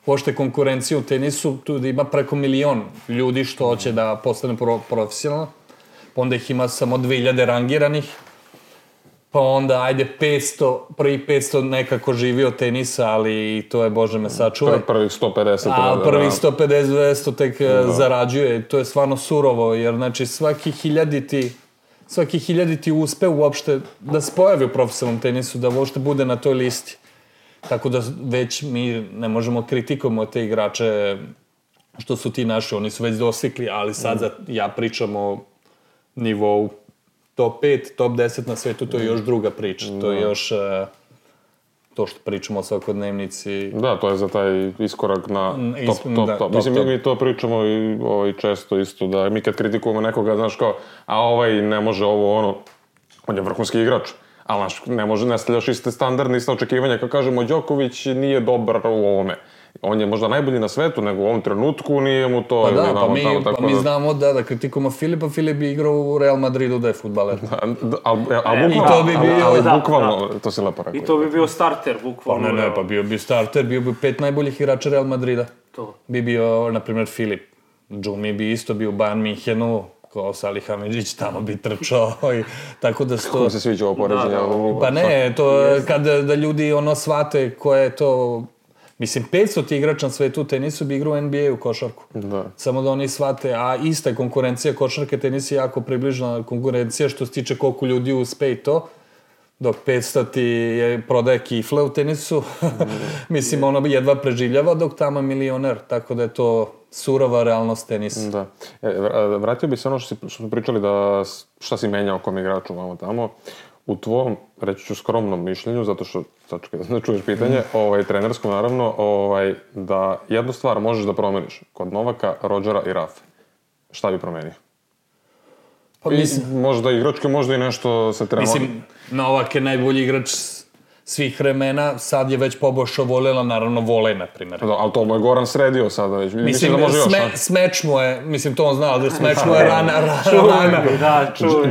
uopšte konkurencije u tenisu, tu da ima preko 1 milion ljudi što hoće da postane profesionalno, pa onda ih ima samo 2000 rangiranih, pa onda, ajde, 500, prvih 500 nekako živi od tenisa, ali to je, Bože me sačuvaj. Prvih 150. A prvih 150-200 tek zarađuje. To je stvarno surovo, jer, znači, svaki hiljaditi uspe uopšte da se pojavi u profesionalnom tenisu, da uopšte bude na toj listi. Tako da već mi ne možemo kritikujemo te igrače što su ti naši, oni su već dosikli, ali sad ja pričam o nivou top 5, top 10 na svetu, to je još druga priča. To je još to što pričamo o svakodnevnici. Da, to je za taj iskorak na top. Mislim, mi to pričamo i često isto, da mi kad kritikujemo nekoga, znaš kao, a ovaj ne može ovo, ono, on je vrhunski igrač. Ali, znaš, ne stavljaš iste standardne, iste očekivanja, kao kažemo, Đoković nije dobar u ovome. On je možda najbolji na svetu, nego u ovom trenutku nije mu to... Pa mi znamo da kritikujemo Filipa, Filip bi igrao u Real Madridu da je fudbaler. Ali bukvalno, to si lepo rekao. I to bi bio starter, bukvalno. Ne, pa bio bi starter, bio bi 5 najboljih igrača Real Madrida. To. Bi bio, na primjer, Filip. Džumi bi isto bio u Bayern Minhenu, kao Salih Hamidžić, tamo bi trčao i tako da Kako se sviđa ovo poređenje? Pa ne, to da ljudi ono shvate koje je to... Mislim, 500 ti igrača na svetu u tenisu bi igrao u NBA u košarku. Da. Samo da oni shvate, a ista je konkurencija košarke, tenis je jako približna konkurencija što se tiče koliko ljudi uspe i to. Dok 500 ti prodaje kifle u tenisu, mislim, ono bi jedva preživljava, dok tamo milioner, tako da je to surova realnost tenisa. Da. Vratio bi se ono što smo pričali da šta si menjao kom igraču vamo tamo. U tvom, reći ću skromnom mišljenju, zato što, sačekaj da ne čuješ pitanje, trenerskom naravno, da jednu stvar možeš da promeniš kod Novaka, Rodgera i Rafe. Šta bi promenio? Pa mislim... Možda igračke, možda i nešto se trenuje. Mislim, Novak je najbolji igrač svih vremena, sad je već poboljšao Volela, naravno Volej, na primjer. Da, ali to mu je Goran sredio sada već. Mislim, smeč mu je, mislim, to on znao, da smeč mu je rana.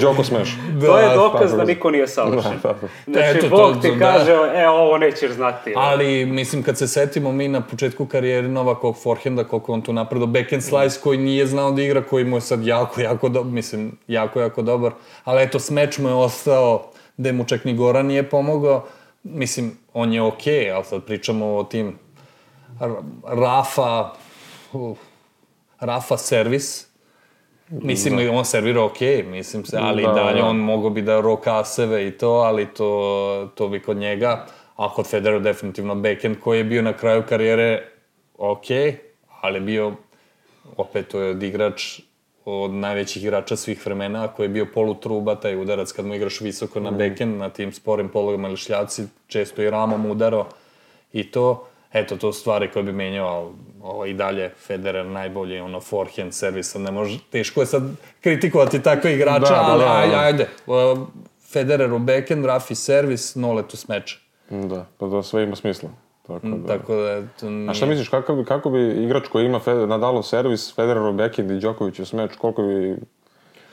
Đoko smeš. To je dokaz da niko nije savršen. Znači, Bog ti kaže, ovo nećeš znati. Ali, mislim, kad se setimo mi na početku karijere Novakovog forehanda, koliko on tu napredo, backhand slice koji nije znao da igra, koji mu je sad jako dobar. Ali eto, smeč mu je ostao, gde mu čak ni Goran nije pomogao. Mislim, on je okej, ali sad pričamo o tim Rafa servis. Mislim, on servira okej, mislim se, ali dalje on mogo bi da rokaseve i to, ali to bi kod njega. A kod Federera definitivno backhand koji je bio na kraju karijere okej, ali bio, opet to je igrač od najvećih igrača svih vremena, koji je bio polutruba, taj udarac kad mu igraš visoko na backhand, na tim sporim pologama ili šljaci, često i ramom udarao i to. Eto, to stvari koje bi menjao i dalje Federer najbolji, forehand servisa, ne može, teško je sad kritikovati takve igrača, ali ajde, Federer u backhand, Rafi servis, Nolet u smeč. Da, pa da sve ima smisla. Tako da... A šta misliš, kako bi igrač koji ima Nadalov servis, Federerov backhand i Đokovićev smeč,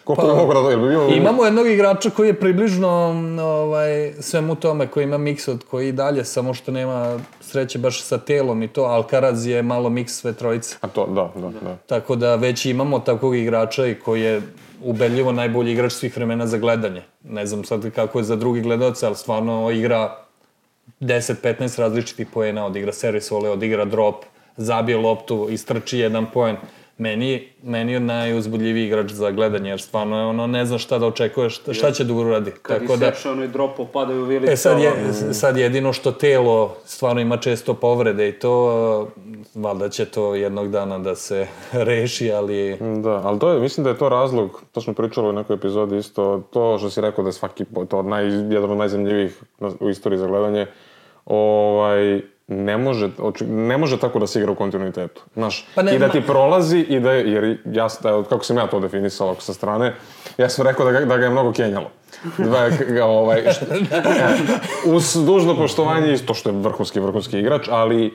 koliko Koliko bi mogu da bio... Imamo jednog igrača koji je približno svemu tome, koji ima miks od koji dalje, samo što nema sreće baš sa telom i to, Alcaraz je malo miks sve trojice. A to, da. Tako da već imamo takvog igrača i koji je ubedljivo najbolji igrač svih vremena za gledanje. Ne znam sad kako je za drugi gledalce, ali stvarno igra 10-15 različitih poena, odigra servis vole, odigra drop, zabije loptu, istrči jedan poen. Meni je najuzbudljiviji igrač za gledanje, jer stvarno ne zna šta da očekuješ, šta će da uradi. Kad iseče onoj dropu, padaju vilice. Sad jedino što telo stvarno ima često povrede i to, valjda će to jednog dana da se reši, ali... Da, ali to je, mislim da je to razlog, to smo pričali u nekoj epizodi isto, to što si rekao da je svaki, to jedan od najzanimljivijih u istoriji za gledanje, ne može tako da se igra u kontinuitetu. Znaš, i da ti prolazi, jer kako sam ja to definisao sa strane, ja sam rekao da ga je mnogo kenjalo. Uz dužno poštovanje, to što je vrhunski igrač, ali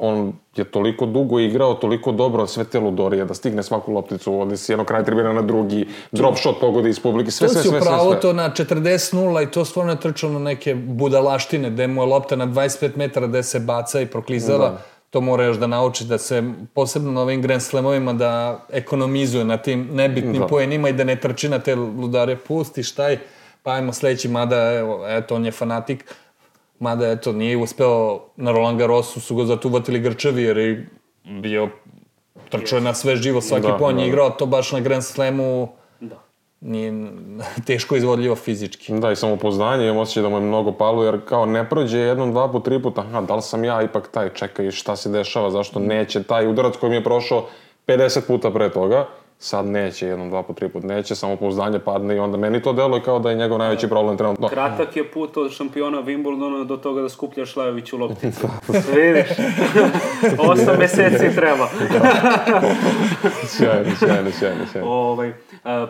on je toliko dugo igrao, toliko dobro, sve te ludorije, da stigne svaku lopticu, ode si jedno kraj tribina na drugi, drop shot pogodi iz publike, sve. To si upravo to na 40-0 i to stvarno je trčalo neke budalaštine, gde mu je lopta na 25 metara gde se baca i proklizava. To mora još da nauči da se, posebno na ovim Grand Slamovima, da ekonomizuje na tim nebitnim poenima i da ne trči na te ludare. Pusti, štaj, pa ajmo sledeći, mada, eto, on je fanatik. Mada, eto, nije uspeo na Roland Garrosu, su ga zato uvatili Grčevi, jer je bio, trčao je na sve živo, svaki poen je igrao, to baš na Grand Slamu nije teško izvodljivo fizički. Da, i samopouzdanje, imam osjećaj da mu je mnogo palo, jer kao ne prođe jednom, dva put, tri puta, da li sam ja ipak taj, čekaj, šta se dešava, zašto neće taj udarac koji mi je prošao 50 puta pre toga, sad neće, jednom, dva put, tri put neće, samopouzdanje padne i onda meni to deluje kao da je njegov najveći problem trenutno. Kratak je put od šampiona Wimbledona do toga da skupljaš Lajoviću lopticu. Vidiš? 8 meseci treba. Sjajno.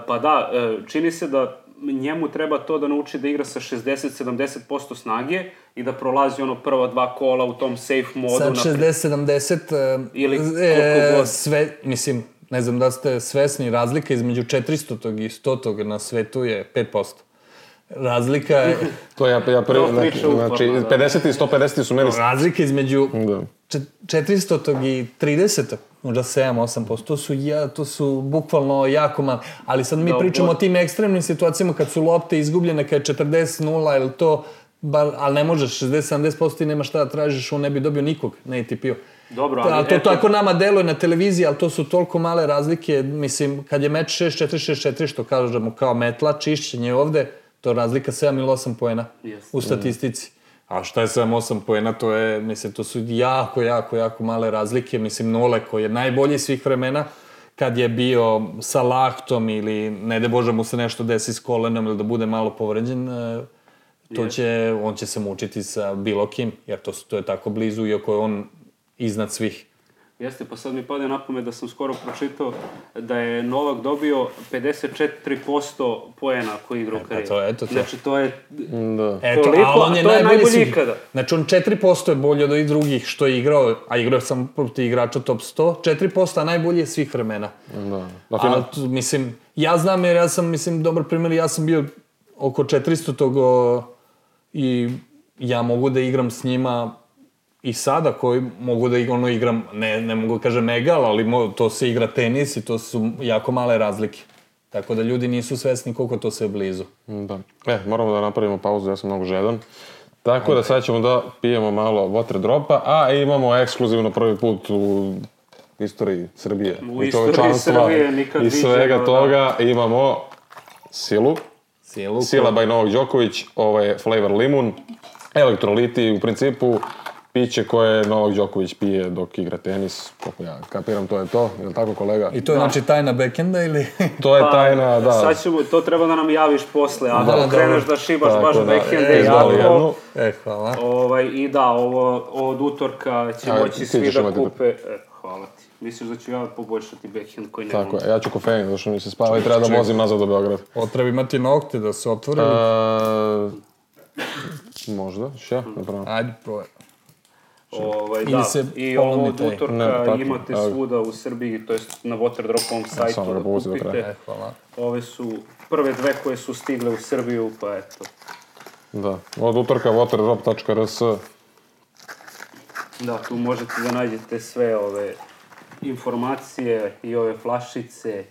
Pa da, čini se da njemu treba to da nauči da igra sa 60-70% snage i da prolazi prva dva kola u tom safe modu. Sad 60-70... Ili koliko god. Sve, mislim... Ne znam da ste svesni, razlika između 400. i 100. na svetu je 5%. Razlika je... To ja znači 50 i 150 su meni... Razlika između 400. i 30. možda 7-8%, to su bukvalno jako malo. Ali sad mi pričamo o tim ekstremnim situacijama kad su lopte izgubljene, kad je 40-0 ili to... Ali ne možeš, 60-70% i nema šta da tražiš, on ne bi dobio nikog na ATP-u. Dobro, ali... To tako nama deluje na televiziji, ali to su toliko male razlike, mislim, kad je meč 6-4, 6-4, što kažemo kao metla, čišćenje ovde, to je razlika 7 ili 8 poena u statistici. A šta je 7-8 poena, to je, mislim, to su jako male razlike, mislim, Nole koji je najbolji svih vremena, kad je bio sa lahtom ili, ne de Bože, mu se nešto desi s kolenom ili da bude malo povređen, on će se mučiti sa bilo kim, jer to je tako blizu, iako je on iznad svih. Jeste, pa sad mi pade na pamet da sam skoro pročitao da je Novak dobio 54% poena koji igra u karijeri. Znači, to je toliko, a to je najbolji ikada. Znači, on 4% je bolji od ovih drugih što je igrao, a igrao je sam protiv igrača top 100, 4%, a najbolji je svih vremena. A, mislim, ja znam jer ja sam, mislim, dobar primjer, ja sam bio oko 400 i ja mogu da igram s njima i sada koji mogu da igram, ne mogu da kažem egal, ali to se igra tenis i to su jako male razlike. Tako da ljudi nisu svesni koliko to sve blizu. Da. Moramo da napravimo pauzu, ja sam mnogo žedan. Tako da sad ćemo da pijemo malo water dropa, a imamo ekskluzivno prvi put u istoriji Srbije. U istoriji Srbije nikad viđeno. I svega toga imamo Silu. Sila by Novak Đoković, ovo je flavor limun, elektroliti, u principu piće koje Novak Đoković pije dok igra tenis, koliko ja kapiram, to je to, je li tako kolega? I to je znači tajna backenda ili? To je tajna, da. Sad ćemo, to treba da nam javiš posle, ako kreneš da šibaš baš backende jako. Hvala. I da, ovo od utorka će moći svi da kupe. Hvala ti. Misliš da ću ja poboljšati backhand koji nemam? Tako je, ja ću kofein, zašto mi se spava i treba da vozim nazad do Beograda. Treba imati nokte da se otvore? Možda, še? Ajde, probaj. Da, i ovo od utorka imate svuda u Srbiji, to jest na Waterdropovom sajtu da kupite. Ove su prve dve koje su stigle u Srbiju, pa eto. Da, od utorka waterdrop.rs. Da, tu možete da nađete sve ove informacije i ove flašice.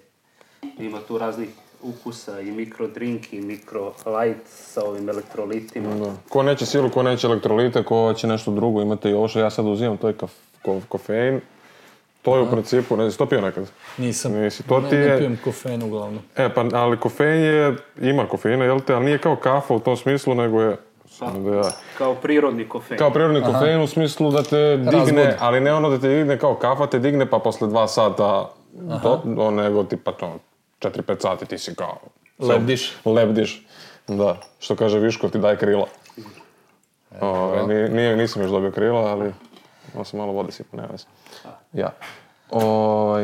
Ima tu raznih ukusa i mikrodrink i mikrolight sa ovim elektrolitima. Da. Ko neće silu, ko neće elektrolite, ko će nešto drugo, imate i ovo što ja sad uzimam, to je kofein. To je u principu, ne znam, to pio nekad? Nisam, ne pijem kofein uglavnom. Ali kofein ima kofeina, jel te, ali nije kao kafa u tom smislu, nego je... Kao prirodni kofein. Kao prirodni kofein u smislu da te digne, ali ne ono da te digne kao kafa, te digne pa posle 2 sata, nego tipa 4-5 sati ti si kao... Lebdiš. Da, što kaže Viškov, ti daj krila. Nisam još dobio krila, ali... Ovo sam malo vode sipa, nema veze. Ja.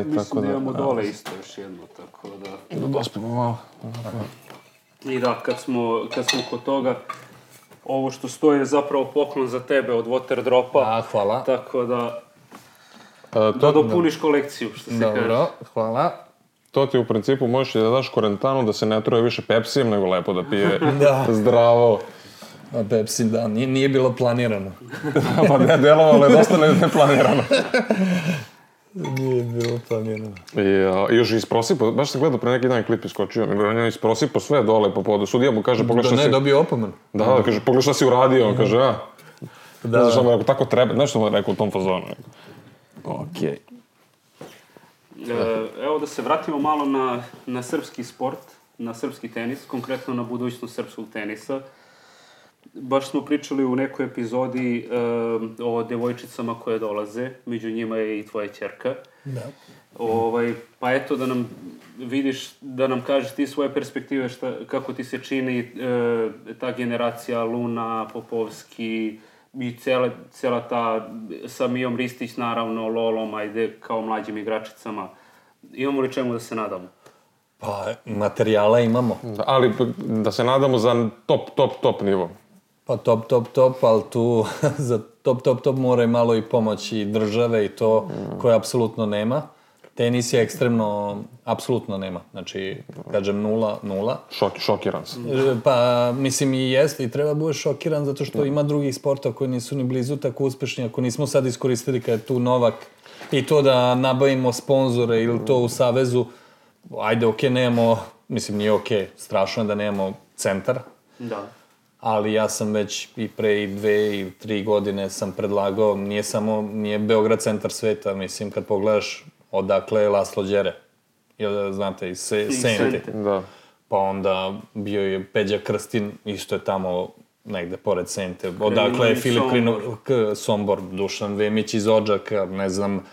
Mislim da imamo dole isto još jedno, tako da... Da dospimo malo. I da, kad smo kod toga, ovo što stoji je zapravo poklon za tebe od Waterdropa. Hvala. Tako da... Da dopuniš kolekciju, što se kaže. Dobro, hvala. To ti u principu možeš i da daš Korentanu da se ne truje više Pepsijem, nego lepo da pije zdravo. A Pepsi, da, nije bilo planirano. Pa ne, delovalo je dosta neplanirano. Nije bilo planirano. I još isprosipo, baš sam gledao pre neki dan klip iskočio, on je isprosipo sve dole po podu. Sudija mu kaže, pogledaj šta si... Da ne, dobio opomen. Da, kaže, pogledaj šta si uradio, on kaže, ne znaš što mu rekao, tako treba, znaš što mu rekao u tom fazonu. Okej. Evo da se vratimo malo na srpski sport, na srpski tenis, konkretno na budućnost srpskog tenisa. Baš smo pričali u nekoj epizodi o devojčicama koje dolaze, među njima je i tvoja ćerka. Da. Pa eto da nam vidiš, da nam kažeš ti svoje perspektive, kako ti se čini ta generacija Luna, Popovski i cijela ta sa Mijom Ristić, naravno, Lolom, ajde, kao mlađim igračicama. Imamo li čemu da se nadamo? Pa, materijala imamo. Ali da se nadamo za top nivo. Pa top, ali tu za top mora i malo i pomoć i države i to koje apsolutno nema. Tenis je ekstremno, apsolutno nema. Znači, kažem 0. Šokiran sam. Pa, mislim i jeste i treba budeš šokiran zato što ima drugih sporta koji nisu ni blizu tako uspešni. Ako nismo sad iskoristili kad je tu Novak i to da nabavimo sponzore ili to u savezu, ajde, okej, nemamo, mislim nije okej, strašno je da nemamo centar. Da. Ali ja sam već i pre i 2 i 3 godine sam predlagao, nije Beograd centar sveta, mislim, kad pogledaš odakle je Laslo Đere, znate, iz Sente. Da. Pa onda bio je Peđa Krstin, isto je tamo negde pored Sente. Odakle je Filip Sombor, Dušan Vemić iz Odžaka, ne znam,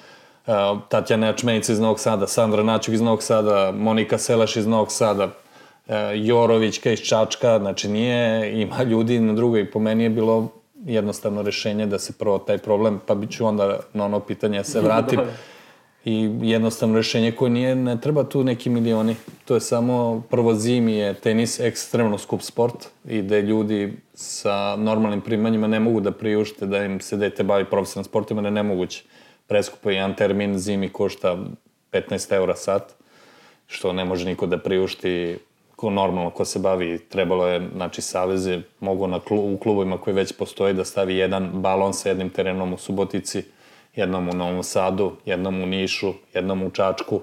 Tatjana Jačmenica iz Novog Sada, Sandra Naćuk iz Novog Sada, Monika Selaš iz Novog Sada, Jorovićka iz Čačka, znači ima ljudi na drugoj. Po meni je bilo jednostavno rešenje da se prvo taj problem, pa ću onda na ono pitanje se vratim. I jednostavno rešenje koje ne treba tu neki milioni. To je samo, prvo zimi je tenis ekstremno skup sport i da ljudi sa normalnim primanjima ne mogu da priušte da im se dete bavi profesionalnim sportima, da je nemoguće. Preskupo jedan termin zimi košta 15 € sat, što ne može niko da priušti normalno ko se bavi. Trebalo je, znači, saveze mogu u klubovima koji već postoji da stavi jedan balon sa jednim terenom u Subotici, jednom u Novom Sadu, jednom u Nišu, jednom u Čačku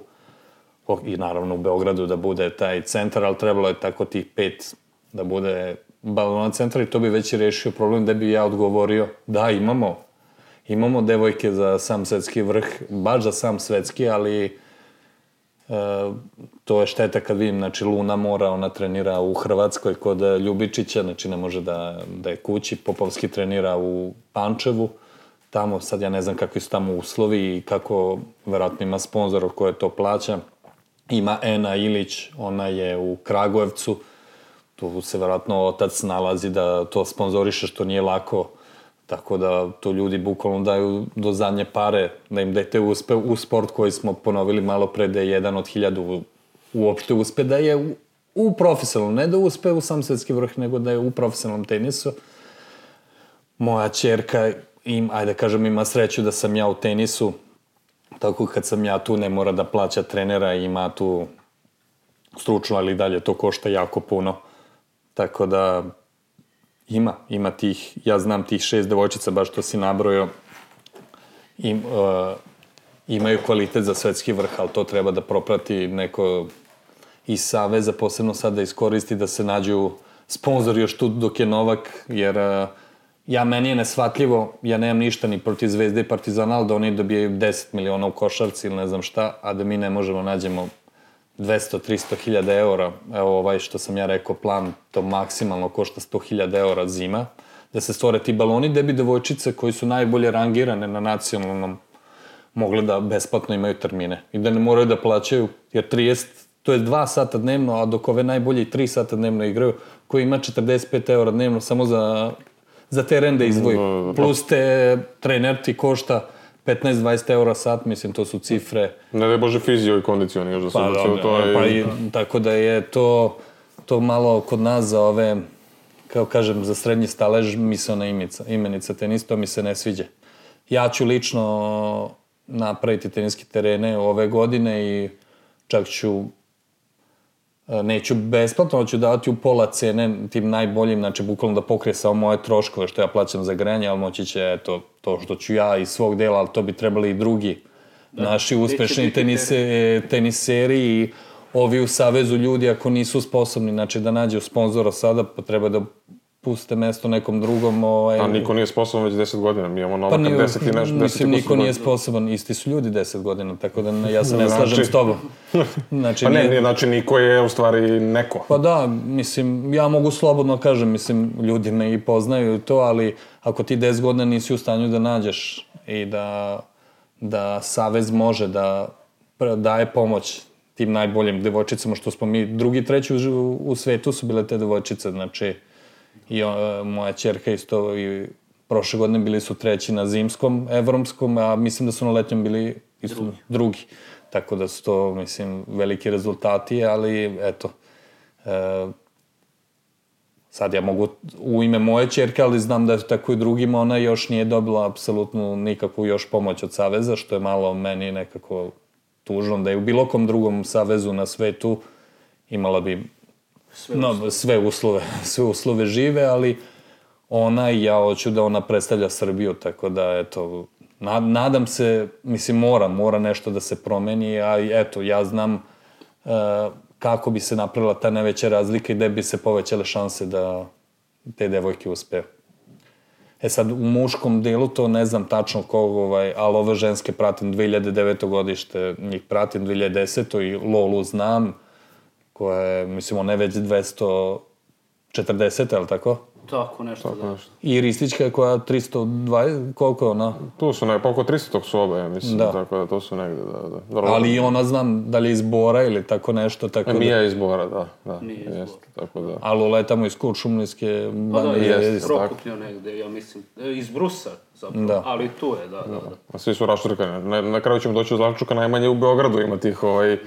i naravno u Beogradu da bude taj centar, ali trebalo je tako tih 5 da bude balona centra i to bi već i rešio problem da bi ja odgovorio da imamo devojke za sam svetski vrh, baš za sam svetski, ali to je šteta kad vidim, znači Luna mora, ona trenira u Hrvatskoj kod Ljubičića, znači ne može da je kući, Popovski trenira u Pančevu, tamo sad ja ne znam kakvi su tamo uslovi i kako, verovatno ima sponzor koje to plaća. Ima Ena Ilić, ona je u Kragujevcu, tu se verovatno otac nalazi da to sponzoriše što nije lako, tako da to ljudi bukvalno daju do zadnje pare, da im dete uspe u sport koji smo ponovili malo pre da je 1 od 1000 uopšte uspe da je u profesionalnom, ne da uspe u sam svetski vrh, nego da je u profesionalnom tenisu. Moja ćerka ajde kažem, ima sreću da sam ja u tenisu, tako kad sam ja tu ne mora da plaća trenera, ima tu stručno, ali dalje to košta jako puno. Tako da ima tih, ja znam tih 6 devojčica, baš što si nabrojao, imaju kvalitet za svetski vrh, ali to treba da proprati neko iz saveza, posebno sad da iskoristi da se nađu sponzori još tu dok je Novak, jer meni je nesvatljivo, ja nemam ništa ni protiv Zvezde i Partizana, ali da oni dobijaju 10 miliona u košarci ili ne znam šta, a da mi ne možemo nađemo 200-300 hiljada eura. Evo što sam ja rekao, plan to maksimalno košta 100 hiljada eura zima, da se stvore ti baloni, da bi devojčice koji su najbolje rangirane na nacionalnom mogle da besplatno imaju termine i da ne moraju da plaćaju, jer 2 sata dnevno, a dok ove najbolje 3 sata dnevno igraju, koji ima 45 eura dnevno samo za teren da izdvoju. Plus trener ti košta 15-20 eura sat, mislim, to su cifre. Ne da je Bože fizio i kondicioni još da se tako da je to malo kod nas za ove, kao kažem, za srednji stalež misaona imenica tenista, to mi se ne sviđa. Ja ću lično napraviti teniske terene ove godine i čak neću besplatno, ali ću davati u pola cene tim najboljim, znači bukvalno da pokrije samo moje troškove što ja plaćam za grejanje, ali moći će to što ću ja iz svog dela, ali to bi trebali i drugi naši uspešni teniseri i ovi u savezu ljudi ako nisu sposobni, znači da nađu sponzora sada, pa treba da puste mesto nekom drugom. A niko nije sposoban već 10 godina, mi imamo Novaka 10 i nešto. Mislim, niko nije sposoban, isti su ljudi 10 godina, tako da ja se ne slažem s tobom. Pa ne, znači niko je u stvari neko. Pa da, mislim, ja mogu slobodno kažem, mislim, ljudi me i poznaju to, ali ako ti 10 godina nisi u stanju da nađeš i da savez može da daje pomoć tim najboljim devojčicama, što smo mi drugi, treći u svetu su bile te devojčice, znači i moja ćerka isto i prošle godine bili su treći na zimskom, evropskom, a mislim da su na letnjem bili drugi. Tako da su to, mislim, veliki rezultati, ali eto, sad ja mogu u ime moje ćerke, ali znam da je tako i drugima, ona još nije dobila apsolutno nikakvu još pomoć od saveza, što je malo meni nekako tužno, da je u bilo kom drugom savezu na svetu imala bi sve uslove žive, ali ona i ja hoću da ona predstavlja Srbiju, tako da, eto, nadam se, mislim, mora nešto da se promeni, a eto, ja znam kako bi se napravila ta najveća razlika i gde bi se povećale šanse da te devojke uspeju. Sad, u muškom delu to ne znam tačno kog, ali ove ženske pratim 2009. godište, njih pratim 2010. i Lolu znam, koja je, mislim, ona je već 240, je li tako? Tako nešto, da. I Ristićka je koja 320, koliko je ona? Tu su oko 300 su oba, ja mislim, tako da to su negde, da. Ali i ona znam da li je iz Bora ili tako nešto, tako da... Mija je iz Bora, da. Nije iz Bora. Tako da... Ali Lola je tamo iz Kuršumlijske... Pa da, je Prokuplja negde, ja mislim, iz Brusa, zapravo, ali tu je, da. A svi su raštrkani. Na kraju ćemo doći od Zlavčuka, najmanje u Beogradu ima tih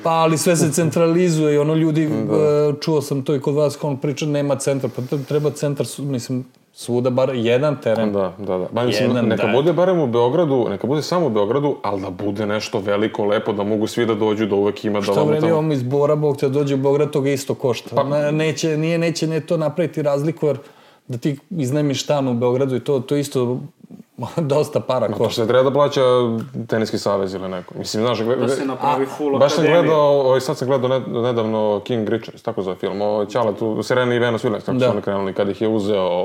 Pa, ali sve se centralizuje i ono ljudi, čuo sam to i kod vas, kao on priča, nema centra, pa treba centar, mislim, svuda bar jedan teren. Da. Ba, mislim, neka bude barem u Beogradu, neka bude samo u Beogradu, ali da bude nešto veliko, lepo, da mogu svi da dođu, da uvek ima da vam tamo... Šta vredi ovom iz Bora, Bog te dođe u Beograd, toga isto košta. Neće to napraviti razliku, jer da ti iznajmiš stan u Beogradu i to isto dosta para košta. To se treba da plaća teniski savez ili neko. Mislim, znaš... Da se napravi full baš sam gledao, sad sam gledao nedavno King Richards, tako zove film, o Ćale tu, Serena i Venus Williams, kako su oni krenuli, kad ih je uzeo,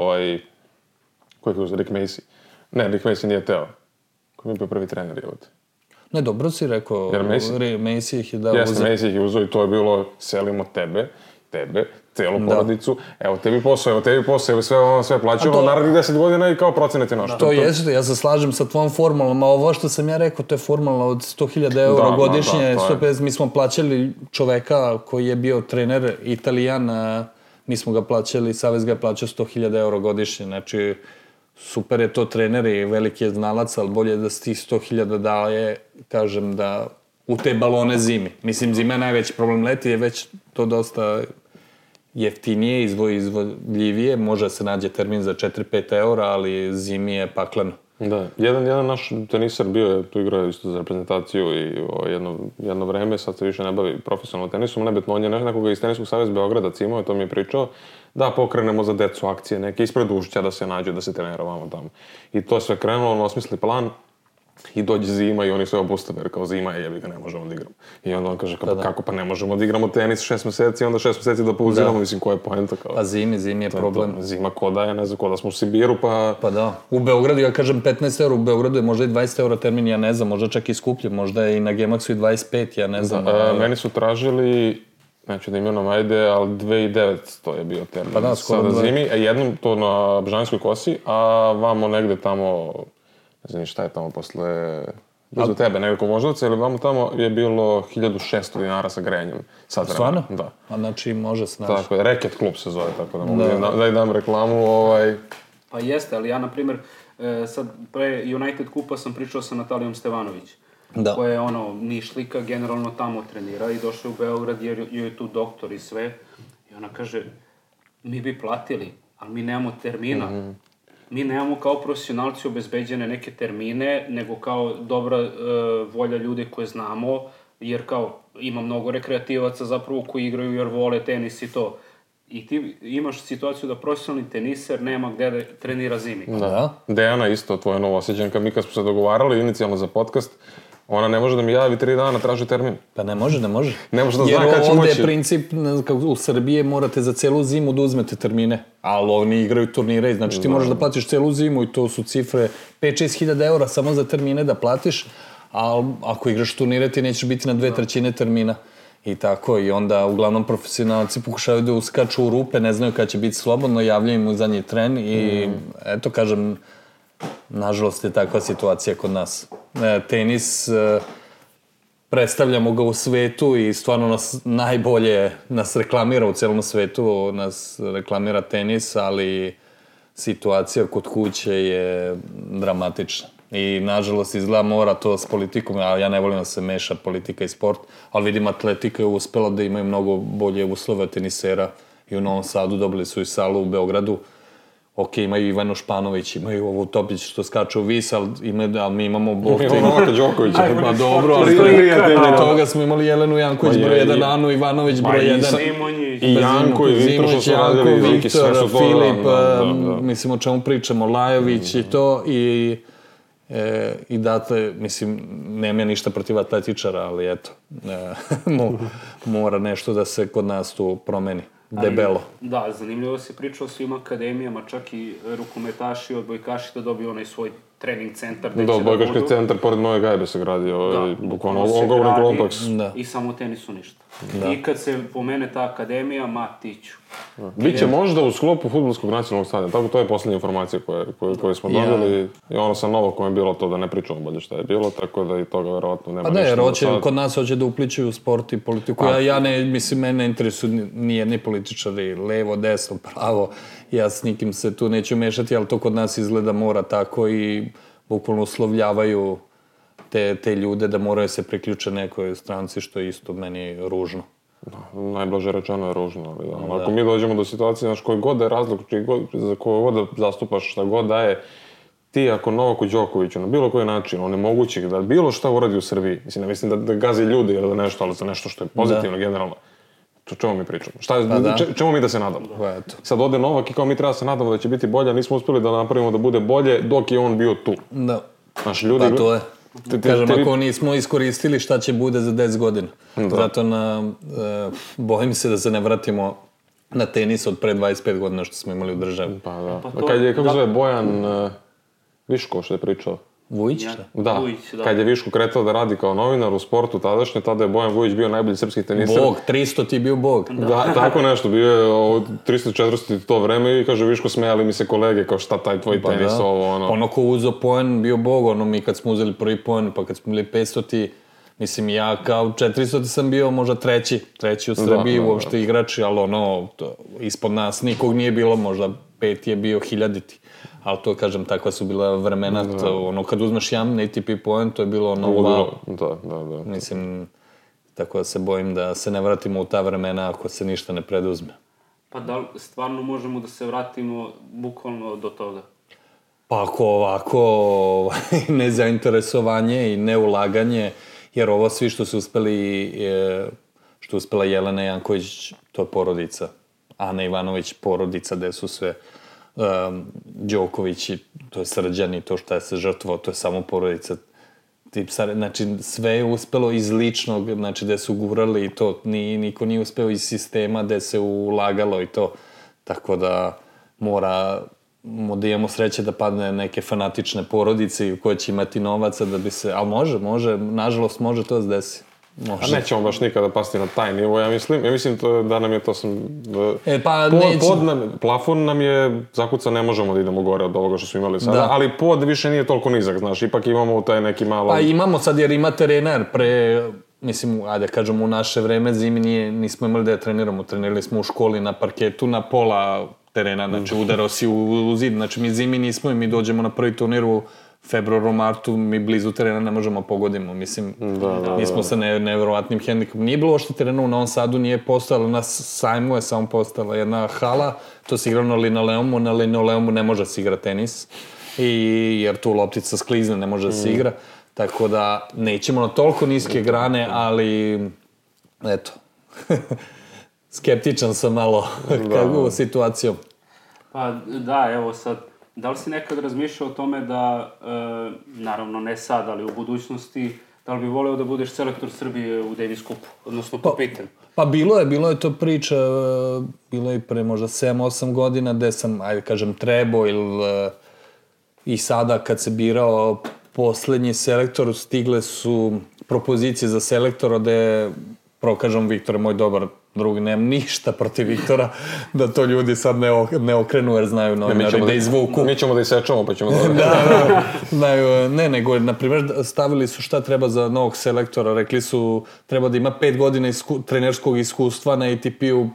ko ih je uzeo, Rick Macy. Ne, Rick Macy nije teo. Ko mi je bio prvi trener, je ovdje? Ne, dobro si rekao, Macy ih je dao uzeo. Jeste, Macy ih je uzeo i to je bilo, selimo tebe, celu porodicu, evo tebi posao, sve plaćamo, narednih 10 godina i kao procenete našto. To jeste, ja se slažem sa tvojom formulom, a ovo što sam ja rekao, to je formula od 100.000 eura godišnje, 150, mi smo plaćali čoveka koji je bio trener Italijan, mi smo ga plaćali, Savez ga je plaćao 100.000 eura godišnje, znači super je to trener i veliki je znalac, ali bolje da se tih 100.000 daje, kažem, da u te balone zimi. Mislim, zima je najveći problem, leti je već to dosta jeftinije, izvodljivije, može se nađe termin za 4-5 eura, ali zimi je pakleno. Da, jedan naš teniser bio je, tu igrao isto za reprezentaciju i jedno vreme, sad se više ne bavi profesionalno tenisom, nebitno, on je nekoga iz Teniskog saveza Beograda cimao, to mi je pričao, da pokrenemo za decu akcije, neke ispred Ušća da se nađu, da se trenira vamo tamo. I to je sve krenulo, on osmisli plan, i dođe zima i oni sve obustave, jer kao zima je, jebi ga, ne možemo da igramo. I onda on kaže, kako pa ne možemo da igramo tenis 6 meseci, onda 6 meseci da pauziramo, mislim, koja je poenta kao... Pa zimi je problem. Zima ko da je, ne znam, ko da smo u Sibiru, pa... Pa da, u Beogradu, ja kažem 15 eura, u Beogradu je možda i 20 eura termin, ja ne znam, možda čak i skuplje, možda je i na Gemaxu i 25, ja ne znam. Meni su tražili, neću da imenom ajde, ali 2900 je bio termin. Pa da, skoro sada zimi, jednom to na Bžanskoj kosi, a vamo negde tamo... Ne znam šta je tamo posle... Blizu tebe, nekako Voždovaca, ili vamo tamo je bilo 1600 dinara sa grejanjem. Stvarno? Da. A znači može se naći. Tako je, Reket klub se zove, tako da mogu da i dam reklamu. Pa jeste, ali ja, na primjer, sad pre United kupa sam pričao sa Natalijom Stevanović, koja je Nišlika, generalno tamo trenira i došla u Beograd jer je tu doktor i sve. I ona kaže, mi bi platili, ali mi nemamo termina. Mi nemamo kao profesionalci obezbeđene neke termine, nego kao dobra volja ljude koje znamo, jer kao ima mnogo rekreativaca zapravo koji igraju jer vole tenis i to. I ti imaš situaciju da profesionalni teniser nema gde da trenira zimi. Da. Dejana isto, tvoja novoosjećanka, mi kad smo se dogovarali inicijalno za podcast, ona ne može da mi javi 3 dana, traži termin. Pa ne može. Ne može da zna kad će moći. Jer ovdje je princip, u Srbiji morate za celu zimu da uzmete termine, ali oni igraju turnire, znači ti moraš da platiš celu zimu i to su cifre 5-6 hiljada eura samo za termine da platiš, a ako igraš turnire ti nećeš biti na 2/3 termina. I tako, i onda uglavnom profesionalci pokušavaju da uskaču u rupe, ne znaju kada će biti slobodno, javljaju im u zadnji tren i eto, kažem, nažalost je takva situacija kod nas. Tenis, predstavljamo ga u svetu i stvarno nas najbolje nas reklamira u celom svetu, nas reklamira tenis, ali situacija kod kuće je dramatična. I nažalost izgleda mora to s politikom, a ja ne volim da se meša politika i sport, ali vidim atletika je uspela da imaju mnogo bolje uslove tenisera i u Novom Sadu dobili su i salu u Beogradu. Ok, imaju Ivanu Španović, imaju ovu Topić što skače u vis, ali mi imamo Bog... Imamo Novaka Đokovića. Pa dobro, ali toga smo imali Jelenu Janković, broj 1, Anu Ivanović, broj 1. I Janko, i Viktor što su radili, veliki sve su to. Filip, mislim o čemu pričamo, Lajović i to, i dakle, mislim, nema ništa protiv atletičara, ali eto, mora nešto da se kod nas tu promeni. Debelo. Da, zanimljivo se priča o svim akademijama, čak i rukometaši, odbojkaši da dobiju onaj svoj trening centar. Da, odbojkaški centar pored Nove Gajbe se gradi, bukvalno ogromni kompleks. I samo tenisu ništa. I kad se pomene ta akademija, Matiću. Biće možda u sklopu fudbalskog nacionalnog stadiona, tako to je poslednja informacija koje smo dobili. I ono sa Novakom je bilo to da ne pričamo bolje šta je bilo, tako da i toga verovatno nema ništa. Pa ne, jer kod nas hoće da upličuju sport i politiku. Ja ne, mislim, mene interesuju nijedni političari, levo, desno, pravo. Ja s nikim se tu neću mešati, ali to kod nas izgleda mora tako i bukvalno uslovljavaju te ljude da moraju se priključe nekoj stranci, što je isto meni ružno. Najblaže rečeno je ružno, ali ako mi dođemo do situacije, znaš, koji god da je razlog, za koju god da zastupaš, šta god da je, ti ako Novaku Đokoviću na bilo koji način onemogući da bilo šta uradi u Srbiji, mislim, ne mislim da gazi ljudi ili da nešto, ali za nešto što je pozitivno generalno, čemu mi pričamo? Čemu mi da se nadamo? Sad ode Novak i kao mi treba se nadamo da će biti bolje, a nismo uspeli da napravimo da bude bolje dok je on bio tu. Da. Pa to je. Kažem, ako nismo iskoristili šta će bude za 10 godina. Zato bojim se da se ne vratimo na tenis od pre 25 godina što smo imali u državi. Pa da. Kad je, kako zove, Bojan Viško što je pričao? Vujić, šta? Da, kad je Viško kretao da radi kao novinar u sportu tadašnje, tada je Bojan Vujić bio najbolji srpski teniser. Bog, 300 ti bio bog. Da, tako nešto, bio je 300-400 to vreme i kaže Viško, smejali mi se kolege kao šta taj tvoj tenis, ovo ono. Ono ko uzeo poen bio bog, mi kad smo uzeli prvi poen, pa kad smo bili 500 mislim ja kao 400 sam bio možda treći u Srbiji uopšte igrači, ali ispod nas nikog nije bilo, možda 5 je bio 1000. Ali to, kažem, takva su bila vremena, kad uzmeš jedan ATP poen, to je bilo wow. Da. Mislim, tako da se bojim da se ne vratimo u ta vremena ako se ništa ne preduzme. Pa da li stvarno možemo da se vratimo bukvalno do toga? Pa ako ovako nezainteresovanje i neulaganje, jer ovo svi što su uspeli, što je uspela Jelena Janković, to je porodica. Ana Ivanović, porodica, gde su sve Đokovići, to je Srđani, to šta je se žrtvovao, to je samo porodica. Znači, sve je uspelo iz ličnog, znači, gde su gurali i to, niko nije uspeo iz sistema gde se ulagalo i to. Tako da moramo da imamo sreće da padne neke fanatične porodice koje će imati novaca da bi se... Ali može, nažalost može to da se desi. Može. A nećemo baš nikada pasti na taj nivo, ja mislim da nam je to sam... Plafon nam je zakuca, ne možemo da idemo gore od ovoga što smo imali sada, ali pod više nije toliko nizak, znaš, ipak imamo taj neki malo... Pa imamo sad jer ima terena, mislim, ajde kažemo u naše vreme zimi nismo imali da je treniramo, trenirali smo u školi na parketu, na pola terena, znači udarao si u zid, znači mi zimi nismo i mi dođemo na prvi turnir u februaru, martu, mi blizu terena ne možemo pogodimo, mislim, mi smo sa nevjerovatnim hendikom. Nije bilo ošte terena u Novom Sadu, nije postojala, na sajmu je samo postojala jedna hala, to se igralo na linoleumu ne može se igra tenis, jer tu loptica sklizne, ne može se igra, tako da nećemo na toliko niske grane, ali, eto, skeptičan sam malo kakvu situacijom. Pa da, evo sad, da li si nekad razmišljao o tome da, naravno ne sad, ali u budućnosti, da li bi voleo da budeš selektor Srbije u Davis Cupu, odnosno kapitan? Pa bilo je to priča, bilo je pre možda 7-8 godina gde sam, ajde kažem, trebao i sada kad se birao poslednji selektor, stigle su propozicije za selektora gde, prvo kažem, Viktor je moj dobar drug, nemam ništa protiv Viktora, da to ljudi sad ne okrenu jer znaju novinari da izvuku. Mi ćemo da isečemo pa ćemo znaju, nego, na primjer, stavili su šta treba za novog selektora, rekli su treba da ima 5 godina trenerskog iskustva na ATP-u,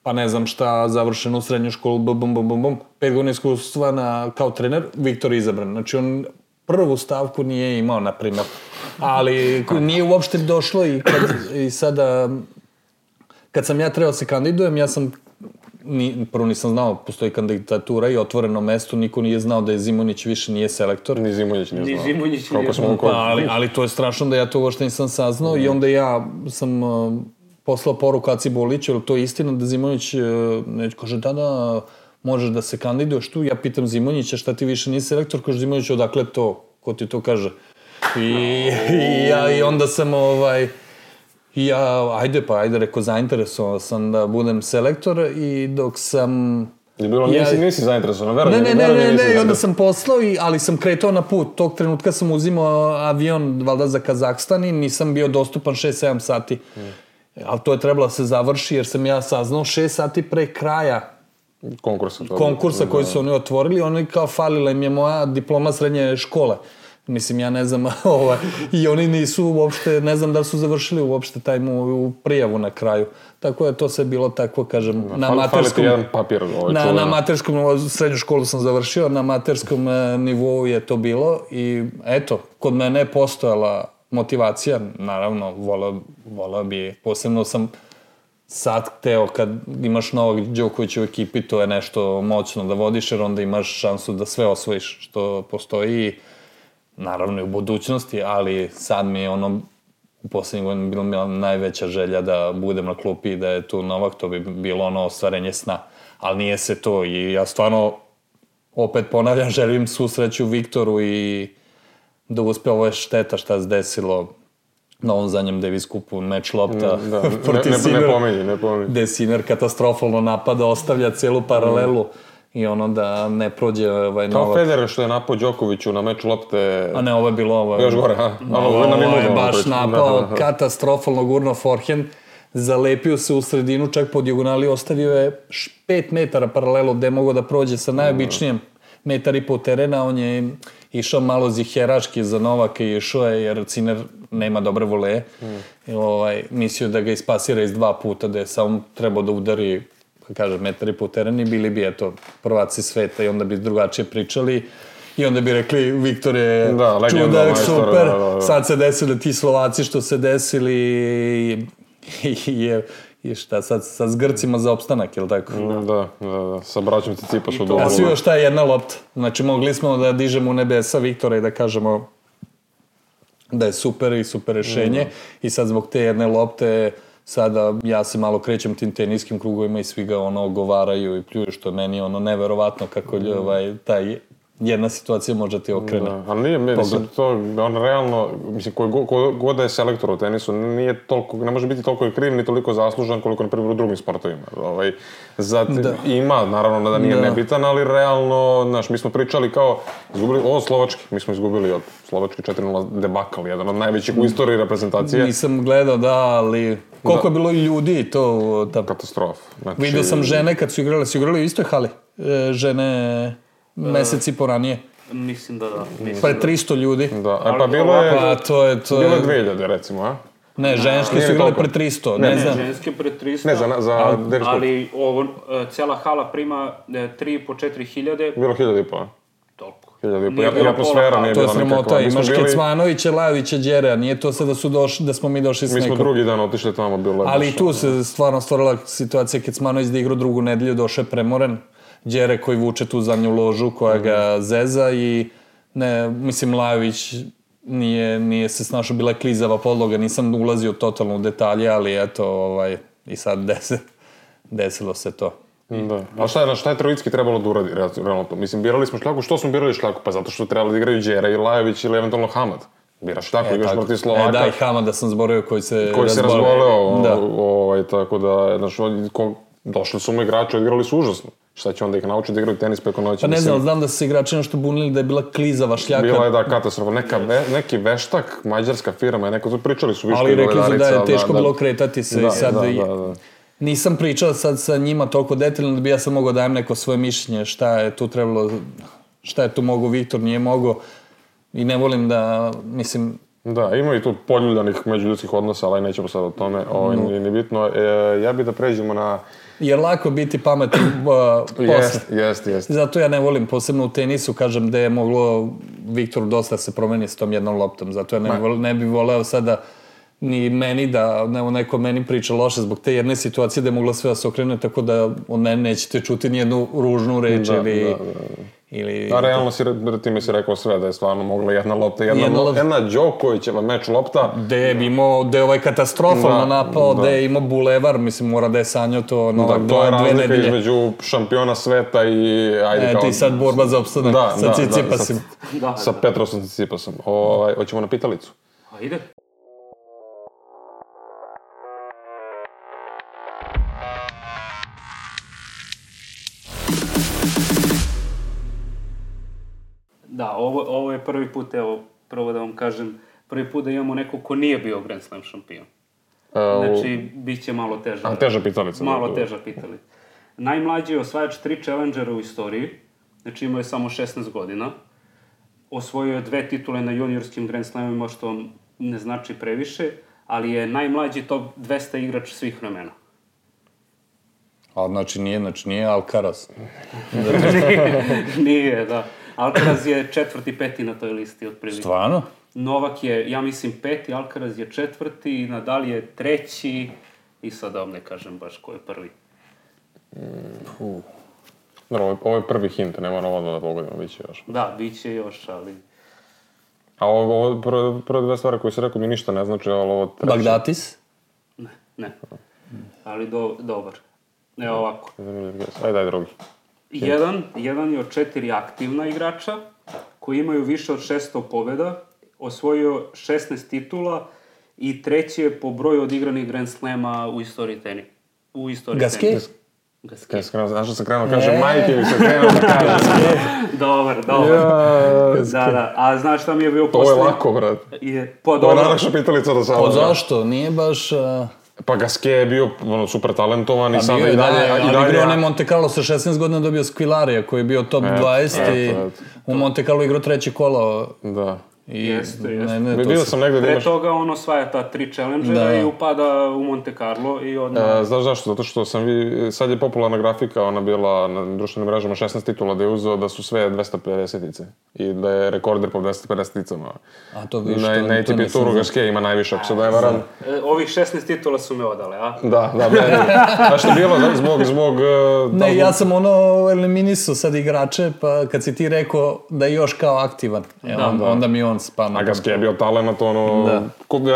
pa ne znam šta, završenu srednju školu, 5 godina iskustva kao trener, Viktor je izabran. Znači on prvu stavku nije imao, na primjer, ali nije uopšte došlo i sada... Kad sam ja trebao se kandidujem, ja sam, prvo nisam znao, postoji kandidatura i otvoreno mesto, niko nije znao da je Zimonjić više nije selektor. Ni Zimonjić nije znao. Ali to je strašno da ja to uopšte nisam saznao i onda ja sam poslao poruku Aci Boliću, jer to je istina da Zimonjić kaže da, možeš da se kandiduješ tu. Ja pitam Zimonjića šta ti više nisi selektor, kaže Zimonjić odakle to, ko ti to kaže. I onda sam ajde, rekao, zainteresovao sam da budem selektor i dok sam... Je bilo, nisi zainteresovan, verujem. Ne, i onda sam poslao, ali sam kretao na put. Tog trenutka sam uzimao avion, valjda za Kazahstan i nisam bio dostupan 6-7 sati. Ali to je trebalo da se završi jer sam ja saznao 6 sati pre kraja konkursa koji su oni otvorili. Oni kao falila im je moja diploma srednje škole. Mislim, ja ne znam, i oni nisu uopšte, ne znam da li su završili uopšte taj mu prijavu na kraju. Tako je to sve bilo tako, kažem, na amaterskom... jedan papir. Na amaterskom, srednju školu sam završio, na amaterskom nivou je to bilo i eto, kod mene je postojala motivacija, naravno, volao bi, posebno sam sad hteo kad imaš Novak Đokovića u ekipi, to je nešto moćno da vodiš, jer onda imaš šansu da sve osvojiš što postoji. Naravno i u budućnosti, ali sad mi je u poslednjih godina bilo najveća želja da budem na klupi i da je tu Novak, to bi bilo ostvarenje sna. Ali nije se to i ja stvarno, opet ponavljam, želim svu sreću Viktoru i da uspe. Ovo je šteta šta se desilo na ovom zadnjem Davis Cupu, meč lopta protiv Sinner. Ne pominji. Gde Sinner katastrofalno napada, ostavlja celu paralelu. I da ne prođe Novak. Kao Federer što je napao Đokoviću na meču lopte... A ne, ovo je bilo... Još gore, ovo je baš napao, katastrofalno gurno forehand, zalepio se u sredinu, čak po dijagonali, ostavio je 5 metara paralelu gde je mogao da prođe sa najobičnijem 1,5 m terena, on je išao malo ziheraški za Novaka i išao je, jer Sinner nema dobre voleje. Mislio da ga ispasira iz 2 puta, da je samo trebao da udari, kažem, 1,5 m teren i bili bi, prvaci sveta i onda bi drugačije pričali i onda bi rekli Viktor je čudak, super, sad se desili ti Slovaci što se desili I šta, sad s Grcima za opstanak, jel tako? Da. Sa braćom Cicipas u Dubrovnu. A svi još ta jedna lopta. Znači, mogli smo da dižemo u nebesa Viktora i da kažemo da je super i super rešenje. I sad zbog te jedne lopte, sada ja se malo krećem tim teniskim krugovima i svi ga ogovaraju i pljuju, što meni je neverovatno kako taj jedna situacija može ti okrene. Da, ali nije, mislim, to, on realno, mislim, god da je selektor u tenisu, nije toliko, ne može biti toliko kriv, ni toliko zaslužan koliko, na primjer, u drugim sportovima. Ima, naravno, da nije nebitan, ali realno, znaš, mi smo pričali kao, izgubili, Slovački, mi smo izgubili od Slovački 4-0 debakal, jedan od najvećih u istoriji reprezentacije. Nisam gledao, da, ali koliko je bilo ljudi to tamo? Katastrof. Znači, vidio sam žene kad su igrali u istoj hali, žene mesec i po ranije. Mislim da. Pa je 300 ljudi. Da, pa bilo je... Pa to je... Bilo je 2000, recimo, a? Ne, ženski su igrali pre 300, ne znam. Ženski pre 300. Ne, za dečko. Ali cijela hala prima 3.500–4.000 hiljade. Bilo 1.500, a? Toliko. 1.500, i atmosfera nije bila nekakva. To je sramota, imaš Kecmanovića, Lajovića, Đera, nije to sad da smo mi došli s nekom. Mi smo drugi dan otišli tamo, bilo je... Ali i tu se stvarno stvorila situacija, Kecmanović da igra drugu nedelju, došao je premoren. Đere koji vuče tu zadnju ložu koja ga zeza i mislim Lajović nije se snašao, bila je klizava podloga, nisam ulazio totalno u detalje, ali eto, i sad desilo se to. Da, a šta je Trojicki trebalo da uradi, realno to? Mislim, birali smo Šljaku, što smo birali Šljaku? Pa zato što trebali da igraju Đera i Lajović ili eventualno Hamad. Biraš Šljaku, igraš protiv Slovaka. Da, i Hamada sam zborio koji se razboleo, tako da, znaš, došli su mu igrači, odigrali su užasno. Šta će onda ih naučiti da igraju tenis preko noći? Pa ne znam da su se igrači nešto bunili da je bila klizava Šljaka. Bila je, da, katastrofa. Neki veštak, mađarska firma, pričali su više. Ali rekli su da je teško bilo kretati se i sad... Nisam pričao sad sa njima toliko detaljno da bi ja sad mogao dajem neko svoje mišljenje šta je tu trebalo, šta je tu mogao Viktor, nije mogao. I ne volim da, mislim... Da, ima i tu poljuljanih međuljudskih odnosa, ali nećemo sad o tome, nije bitno. Ja bih da pređemo na... Jer lako biti pametan posle. Jeste. Zato ja ne volim, posebno u tenisu, kažem, da je moglo Viktoru dosta se promeni s tom jednom loptom. Zato ja ne bih voleo sada ni meni da neko meni priča loše zbog te jedne situacije da je mogla sve da se okrene, tako da od mene nećete čuti nijednu ružnu reč ili... A realno time si rekao sve, da je stvarno mogla jedna lopta, jedna Đokovićeva meč lopta. Da je imao, da je ovaj katastrofalno napao, da je imao bulevar, mislim, mora da je sanjao to to je razlika između šampiona sveta i... Eto i sad borba za opstanak sa Cicipasim. Sa Petrosom Cicipasom. Hoćemo na pitalicu? Ide. Da, ovo je prvi put, evo, prvo da vam kažem, prvi put da imamo neko ko nije bio Grand Slam šampion. Znači, bit će malo teža. A teža pitalica. Malo teža pitalica. Najmlađi je osvajač 3 challengera u istoriji, znači imao je samo 16 godina. Osvojio je 2 titule na juniorskim Grand Slamima, što ne znači previše, ali je najmlađi top 200 igrač svih vremena. A znači nije Alcaraz. Nije, da. Alcaraz je 4. 5. na toj listi otprilike. Stvarno? Novak je, ja mislim, 5. Alcaraz je 4. Nadal je 3. I sad da vam ne kažem baš ko je prvi. Ovo je prvi hint, ne moram ovo da pogodimo, bit će još. Da, bit će još, ali... A ovo prve dve stvari koje si rekao mi ništa ne znači, ali ovo treće... Bagdatis? Ne. Ali dobar. Evo ovako. Ajde, drugi. Jedan je od 4 aktivna igrača koji imaju više od 600 pobjeda, osvojio 16 titula i 3. je po broju odigranih Grand Slema u istoriji tenisa. Gasquet? Znaš što sam krenuo kaže majke ili se krenuo da kaže. Dobar. Da. A znaš šta mi je bio posljednji? To je lako, brat. To je najlakša pitalica do sada. Pa zašto? Nije baš... Pa Gasquet je bio super talentovan i sada i dalje... Ali igrao onaj Monte Carlo sa 16 godina dobio Skvilarija koji je bio top 20 i u Monte Carlo igrao 3. kolo. Da. Jeste. Vidio sam negde da imaš... Pre toga on osvaja ta 3 challengera i upada u Monte Carlo i odmah... Znaš zašto? Zato što sad je popularna grafika, ona bila na društvenim mrežama 16 titula da je uzeo da su sve 250-ice i da je rekorder po 250-icama. A to viš, na ATP Touru Gasquet ima najviše, ako se da je varam. Ovih 16 titula su me odale, a? Da, znaš što je bilo zbog... Ne, ja sam eliminisao sad igrače, pa kad si ti rekao da je još kao aktivan, onda mi on spano. A Gasquet je bio talent,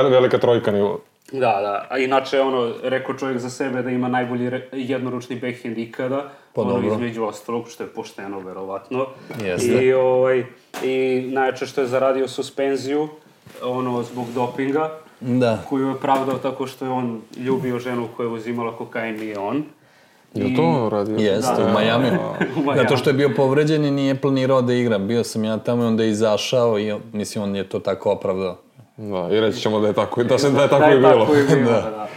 velika trojka nivo. Da. A inače, rekao čovjek za sebe da ima najbolji jednoručni backhand ikada, između ostalog, što je pošteno, verovatno. Jeste. I najjače što je zaradio suspenziju, zbog dopinga, koju je pravdao tako što je on ljubio ženu koja je uzimala kokain i on. Je to radio? Jeste, u Majamiju. Zato što je bio povređen i nije planirao da igra. Bio sam ja tamo i onda je izašao i mislim on je to tako opravdao. Da, i reći ćemo da je tako i bilo. Da.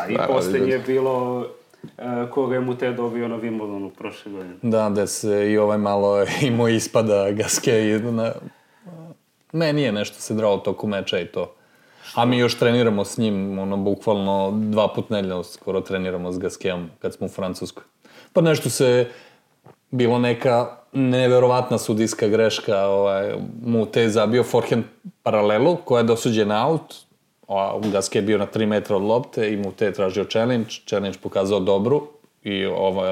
I posljednje je bilo koga je Mute dobio na Wimbledonu prošle godine. Da, da se i malo imao ispada Gasquet. Meni je nešto se drao toku meča i to. A mi još treniramo s njim, bukvalno 2 put nedeljno skoro treniramo s Gasquetom kad smo u Francuskoj. Pa nešto se, bilo neka neverovatna sudijska greška, Mute je zabio forehand paralelu koja je dosuđena out, Gasquet je bio na 3 metra od lopte i Mute je tražio challenge pokazao dobru i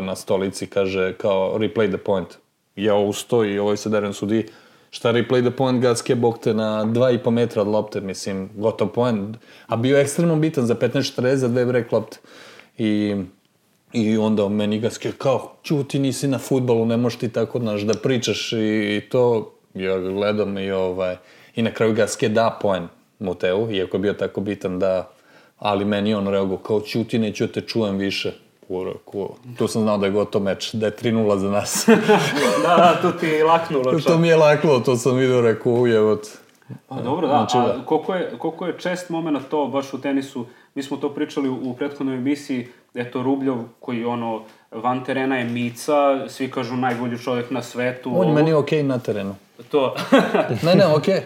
na stolici kaže kao replay the point. Ja ustao i se darim sudiji. Šta replay the point, Gasquet bog te na 2,5 metra od lopte, mislim, gotov point. A bio je ekstremno bitan za 15-40, za 2 break lopte. I onda meni Gasquet kao, čuti, nisi na fudbalu, ne možeš ti tako, da pričaš i to. Ja ga gledam i na kraju Gasquet da point Muteu, iako je bio tako bitan da, ali meni on reagovao kao, čuti, neću te čujem više. Tu sam znao da je gotov meč, da je 3-0 za nas. Da, tu ti je laknulo. To mi je laknulo, to sam vidio, rekao, ujevot. Pa dobro, da, a koliko je čest moment to baš u tenisu, mi smo to pričali u prethodnoj emisiji, eto Rubljov koji van terena je mica, svi kažu najbolji čovjek na svetu. On je meni okej na terenu. To. Ne, okej.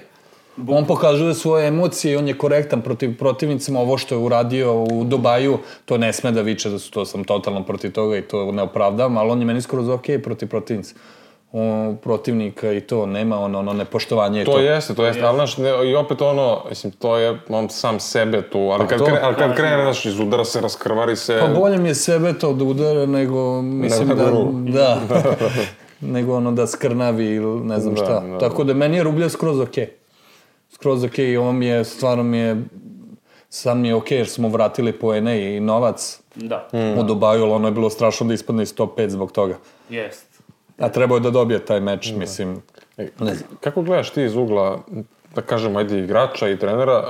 On pokazuje svoje emocije i on je korektan protiv protivnicima. Ovo što je uradio u Dubaju, to ne sme da viče, to sam totalno protiv toga i to ne opravdavam, ali on je meni skoro okej protiv protivnika i to nema nepoštovanje. To jeste, ali znaš, i opet mislim, to je on sam sebe tu, ali kad krene, znaš, izudara se, raskrvari se... Pa bolje mi je sebe to da udara nego, mislim da, nego da skrnavi ili ne znam šta. Tako da meni je Rubljev skroz okej i on mi je, stvarno mi je, sad mi je okej jer smo vratili poene i novac u Dubaju, ali ono je bilo strašno da ispadne iz top 5 zbog toga. Jest. A trebao je da dobije taj meč, mislim. Kako gledaš ti iz ugla, da kažem, ajde igrača i trenera,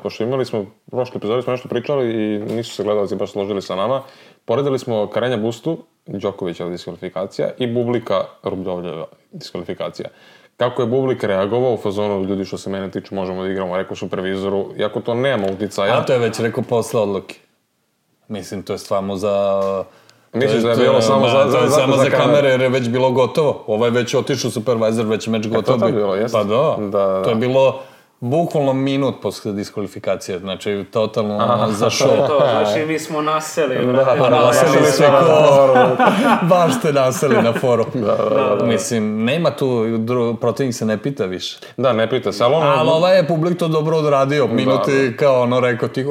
pošto imali smo, u prošloj epizodi smo nešto pričali i nisu se gledalci baš složili sa nama, poredili smo Karenja Bustu, Đokovića diskvalifikacija i Bublika Rubljovljeva diskvalifikacija. Kako je Bublik reagovao u fazonu, ljudi što se mene tiče možemo da igramo, rekao supervizoru, iako to nema uticaja. A to je već rekao posle odluke. Mislim, to je stvarno za... Misliš da je bilo samo za kamere jer je već bilo gotovo. Ovo je već otišao supervisor, već meč gotovo. To je bilo, jeste? Pa da. To je bilo bukvalno minut posle diskvalifikacije. Znači, totalno za show. Znači, mi smo naseli. Naseli sve ko... Baš ste naseli na foru. Mislim, nema tu, protivnik se ne pita više. Da, ne pita se, ali ovaj je publik to dobro odradio. Minuti kao rekao ti,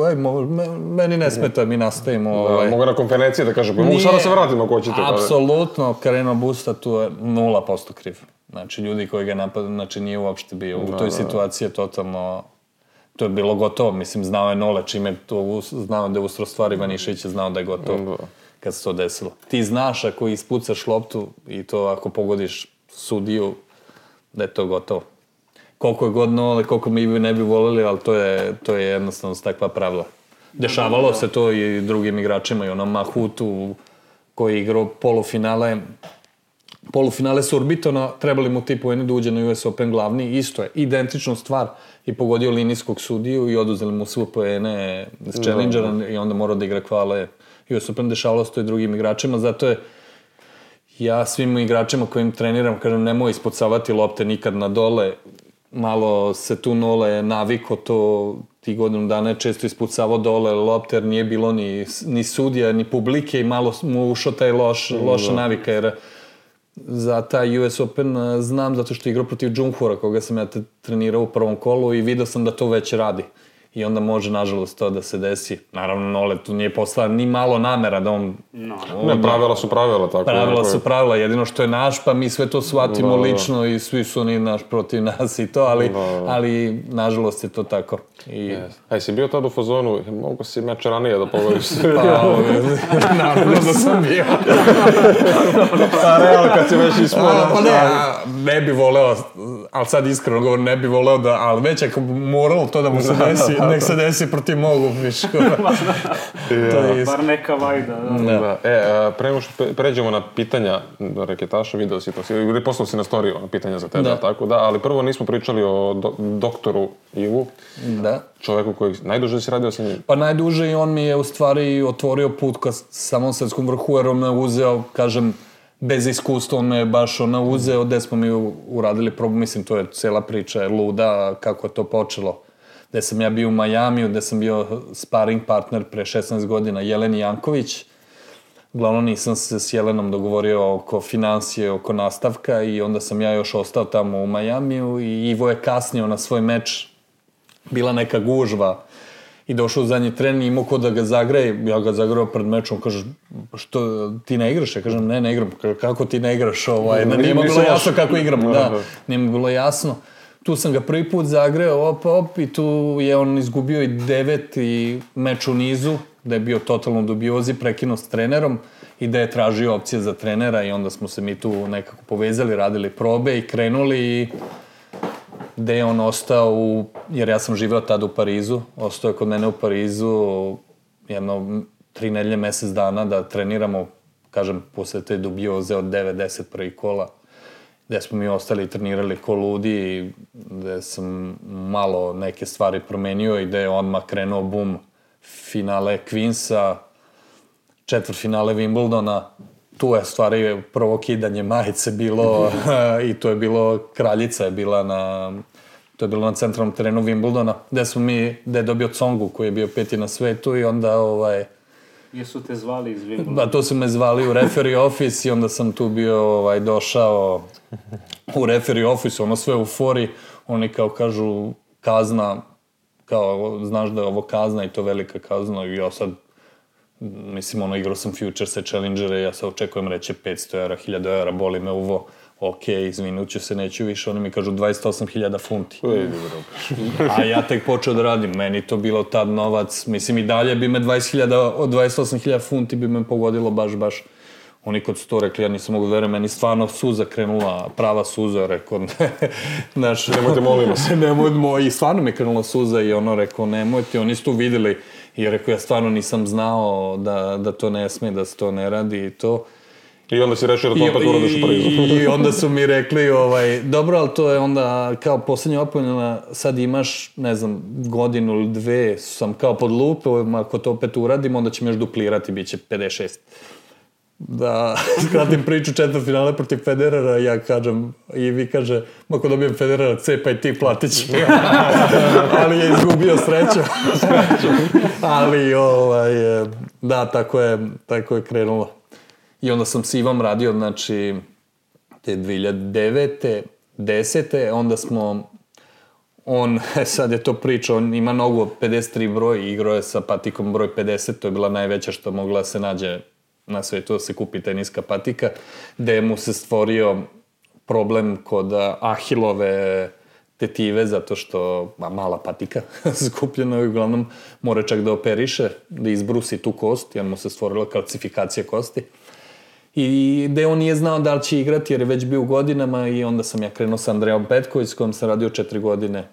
meni ne smeta, mi nastavimo. Mogu na konferenciji da kažem, mogu sada se vratimo ako hoćete. Apsolutno, Kareno Busta tu je 0% kriv. Znači, ljudi koji ga napadaju, znači nije uopšte bio u toj situaciji je totalno, to je bilo gotovo, mislim, znao je Nole, čime to znao da je ustro stvari, Ivanišević je znao da je gotovo kad se to desilo. Ti znaš ako ispucaš loptu i to ako pogodiš sudiju, da je to gotovo. Koliko je god Nole, koliko mi ne bi volili, ali to je jednostavno takva pravila. Dešavalo se to i drugim igračima i Mahutu koji je igrao Polufinale su Urbitona, trebali mu ti poeni da uđe na US Open glavni, isto je, identična stvar i pogodio linijskog sudiju i oduzeli mu sve poene s Challengera i onda morao da igra kvale US Open, dešavalo se to i drugim igračima, zato je ja svim igračima kojim treniram, kažem, nemoj ispucavati lopte nikad na dole, malo se tu Nole naviko to, ti godinu dana je često ispucavao dole lopte, jer nije bilo ni sudija, ni publike i malo mu ušao taj loša navika, jer za taj US Open znam zato što je igrao protiv Džumhura, koga sam ja trenirao u prvom kolu i vidio sam da to već radi. I onda može, nažalost, to da se desi. Naravno, Nole tu nije poslao ni malo namera da on... Ne, pravila su pravila, tako. Pravila su pravila, jedino što je naš, pa mi sve to shvatimo lično i svi su oni naš protiv nas i to, ali nažalost je to tako. Aj, si bio tad u fazonu, mogu si meč ranije da pogodiš? Pa, naravno da sam bio. Pa, realno, kad si već ispora. Pa ne bi voleo, ali sad iskreno govorim, ne bi voleo da, ali već ako moralo to da mu se desi, nek se desi protiv mogu, viško. Bar neka vajda. Pre nego što pređemo na pitanja reketaša, video si to, ili poslao si na storiju pitanja za tebe, tako da, ali prvo nismo pričali o doktoru Ivu. Da. Čoveku koji najduže si radio sa njim? Pa najduže i on mi je u stvari otvorio put ka samom svetskom vrhu, jer on me uzeo, kažem, bez iskustva, on me baš uzeo, gde smo mi uradili probu, mislim, to je cela priča, je luda, kako je to počelo. Gde sam ja bio u Majamiju, gde sam bio sparing partner pre 16 godina, Jeleni Janković. Uglavnom nisam se s Jelenom dogovorio oko financije, oko nastavka i onda sam ja još ostao tamo u Majamiju i Ivo je kasnio na svoj meč. Bila neka gužva i došao u zadnji tren i imao ko da ga zagreje. Ja ga zagreo pred mečom, kaže, što, ti ne igraš? Ja kažem, ne igram. Kako ti ne igraš? Nije mi bilo jasno kako igram. Da, nije mi bilo jasno. Tu sam ga prvi put zagreo, i tu je on izgubio i 9. meč u nizu, da je bio totalno dubiozi, prekinuo s trenerom i da je tražio opcije za trenera i onda smo se mi tu nekako povezali, radili probe i krenuli i gde je on ostao, jer ja sam živeo tada u Parizu, ostao je kod mene u Parizu jedno 3 nedelje, mesec dana da treniramo, kažem, posle te dubioze od 9-10 prvih kola, gde smo mi ostali i trenirali ko ludi i gde sam malo neke stvari promenio i gde je odmah krenuo bum finale Queensa, četvrtfinale Wimbledona. Tu je stvari prvo kidanje majice bilo i to je bilo, kraljica je bila to je bilo na centralnom terenu Wimbledona, gde je dobio Tsongu koji je bio 5. na svetu i onda Jesu te zvali iz Wimbledona? Da, to su me zvali u referee office i onda sam tu bio došao u referee office, ono sve u fori, oni kao kažu kazna, kao znaš da je ovo kazna i to velika kazna i ja sad, mislim, igrao sam Futurese, Challengere, ja sad očekujem reći 500 eura, 1000 eura, boli me uvo, ok, izvinut ću se, neću više, oni mi kažu 28.000 funti. A ja tek počeo da radim, meni to bilo tad novac, mislim i dalje bi me 28.000 funti bi me pogodilo baš. Oni kod su to rekli, ja nisam mogu da verujem, meni stvarno suza krenula, prava suza, rekao, nemojte, molimo se. I stvarno mi je krenula suza i ono rekao, nemojte, oni su tu videli i rekao, ja stvarno nisam znao da to ne sme, da se to ne radi i to. I onda si rešio da to opet uradiš u Parizu. I onda su mi rekli, dobro, ali to je onda kao poslednja opomena, sad imaš, ne znam, godinu ili 2, sam kao pod lupom, ako to opet uradim, onda će me još duplirati, bit će 56. Da skratim priču, četvrtfinale protiv Federera, ja kažem, i vi kaže, ako dobijem Federera C, pa i ti platit će. Ali je izgubio sreću. Ali, da, tako je krenulo. I onda sam s Ivom radio, znači, te 2009. 10. Onda smo, sad je to priča, on ima nogu 53 broj, igrao je sa patikom broj 50, to je bila najveća što mogla se nađe na svetu da se kupi teniska patika, gde mu se stvorio problem kod ahilove tetive, zato što mala patika skupljena i uglavnom mora čak da operiše, da izbrusi tu kost, jer mu se stvorila kalcifikacija kosti. I gde on nije znao da li će igrati, jer je već bio u godinama i onda sam ja krenuo sa Andrejom Petković, s kojom sam radio 4 godine.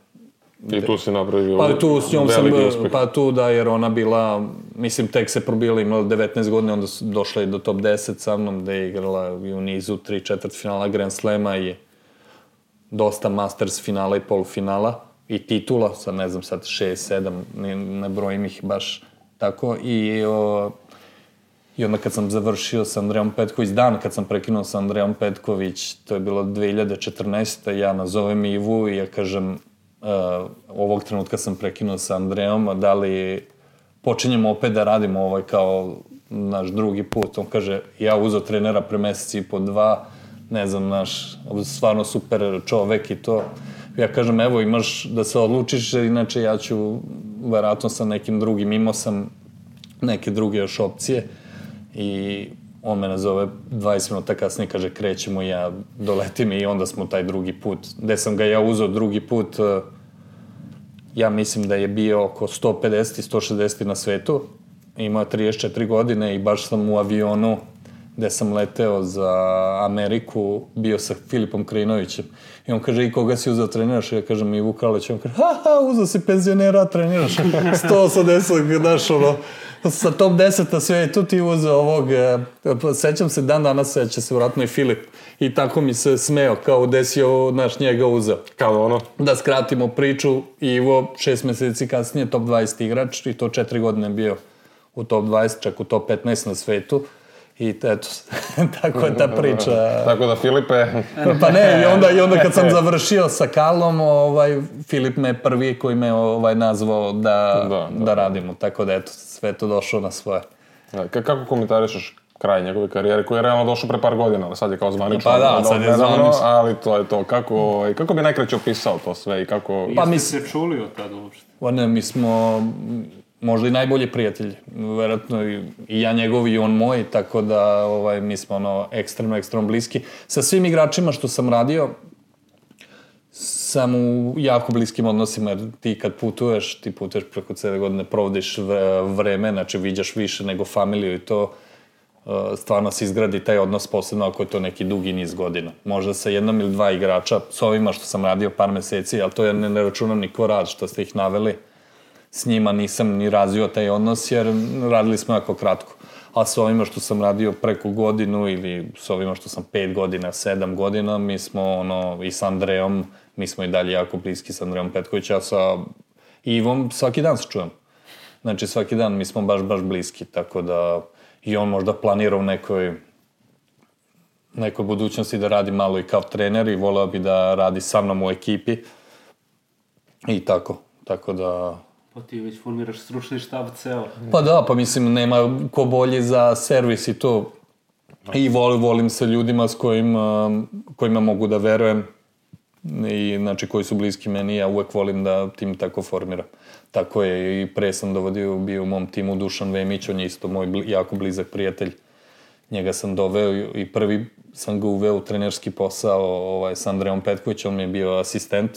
I tu si napravio veliki uspeh. Pa tu da, jer ona bila, mislim, tek se probila, imala 19 godina, onda su došla i do top 10 sa mnom, gde je igrala i u nizu 3/4 finala Grand Slema i dosta Masters finala i polufinala i titula, sad ne znam, sad 6, 7, ne brojim ih baš tako. I onda kad sam završio sa Andrejom Petković, dan kad sam prekinuo sa Andrejom Petković, to je bilo 2014. Ja nazovem Ivu i ja kažem, ovog trenutka sam prekinuo sa Andrejom, da li počinjemo opet da radimo kao naš drugi put. On kaže, ja uzeo trenera pre mesec i po 2, ne znam, stvarno super čovek i to. Ja kažem, evo, imaš da se odlučiš, inače ja ću verovatno sa nekim drugim, imao sam neke druge još opcije i on me nazove 20 minuta kasnije, kaže, krećemo, ja doletim i onda smo taj drugi put. Gde sam ga ja uzeo drugi put, ja mislim da je bio oko 150 i 160 na svetu, imao 34 godine i baš sam u avionu gde sam leteo za Ameriku, bio sa Filipom Krajinovićem. I on kaže, i koga si uzeo treniraš? I ja kažem, Ivu Kraleć. On kaže, uzeo si penzionera, treniraš 180, znaš, sa top 10 na svetu ti uzeo ovog, sećam se, dan danas seća se vratno i Filip. I tako mi se smeo, kao gde si njega uzeo. Kao ono? Da skratimo priču, Ivo 6 meseci kasnije top 20 igrač i to 4 godine bio u top 20, čak u top 15 na svetu. I eto, tako je ta priča. Tako da, Filipe... Pa ne, i onda kad sam završio sa Karlom, Filip me prvi koji me nazvao da radimo. Tako da, eto, sve to došlo na svoje. Kako komentarišeš kraj njegove karijere, koji je realno došao pre par godina, ali sad je kao zvanično. Pa da, sad je zvanično. Ali to je to. Kako bi najkraće opisao to sve i kako... Jeste se čuli od tada uopšte? Ne, mi smo... možda i najbolji prijatelji, verovatno i ja njegovi i on moj, tako da mi smo ekstremno bliski. Sa svim igračima što sam radio, sam u jako bliskim odnosima, jer ti kad putuješ preko cele godine, provodiš vreme, znači viđaš više nego familiju i to stvarno se izgradi taj odnos, posebno ako je to neki dugi niz godina. Možda sa jednom ili dva igrača, s ovima što sam radio par meseci, ali to ja ne računam ni ko rad što ste ih naveli. S njima nisam ni razvio taj odnos jer radili smo jako kratko. A s ovima što sam radio preko godinu ili s ovima što sam 5 godina, 7 godina, mi smo i s Andrejom, mi smo i dalje jako bliski s Andrejom Petkovića, a sa Ivom svaki dan se čujem. Znači svaki dan mi smo baš bliski, tako da i on možda planira u nekoj budućnosti da radi malo i kao trener i voleo bi da radi sa mnom u ekipi i tako da... Pa ti već formiraš stručni štab ceo. Pa da, pa mislim, nema ko bolji za servis i to. I volim sa ljudima s kojima mogu da verujem i znači koji su bliski meni, ja uvek volim da tim tako formiram. Tako je i pre sam bio u mom timu Dušan Vemić, on je isto moj jako blizak prijatelj. Njega sam doveo i prvi sam ga uveo u trenerski posao sa Andrejom Petkovićem, on mi je bio asistent.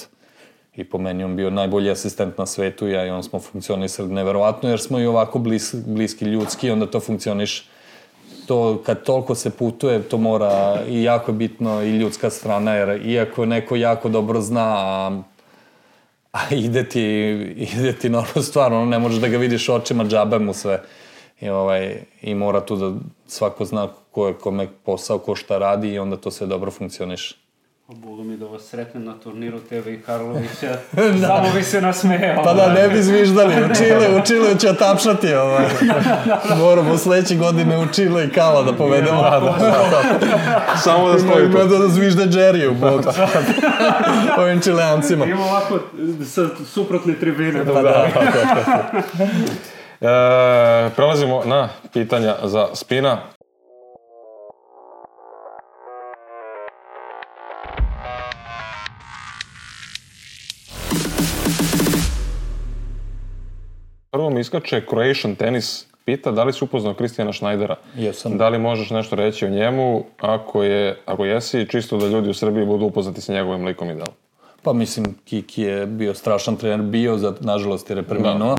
I po meni on bio najbolji asistent na svetu, ja i on smo funkcionisali neverovatno, jer smo i ovako bliski ljudski, onda to funkcioniš. To, kad toliko se putuje, to mora i jako bitno i ljudska strana, jer iako neko jako dobro zna, a ide ti normalno stvar, ono ne možeš da ga vidiš očima, džabe mu sve. I mora tu da svako zna ko je kome posao, ko šta radi i onda to sve dobro funkcioniš. Bogu mi da vas sretnem na turniru tebe i Karlovića, samo bi se nasmejao. Pa da, ne bi zviždali, u Čileu će otapšati. Moramo sledeće godine u Čile i Kala da povedemo. Samo da stoji to. Da zvižde Džeriju, bog. Ovim Čileancima. Ima ovako sa suprotne tribine. Pa da. Prelazimo na pitanja za Spina. Prvo mi iskače Croatian Tennis, pita da li si upoznao Kristijana Šnajdera. Jesam. Da li možeš nešto reći o njemu, ako jesi, čisto da ljudi u Srbiji budu upoznati sa njegovim likom i delom. Pa mislim, Kiki je bio strašan trener, nažalost jer je preminuo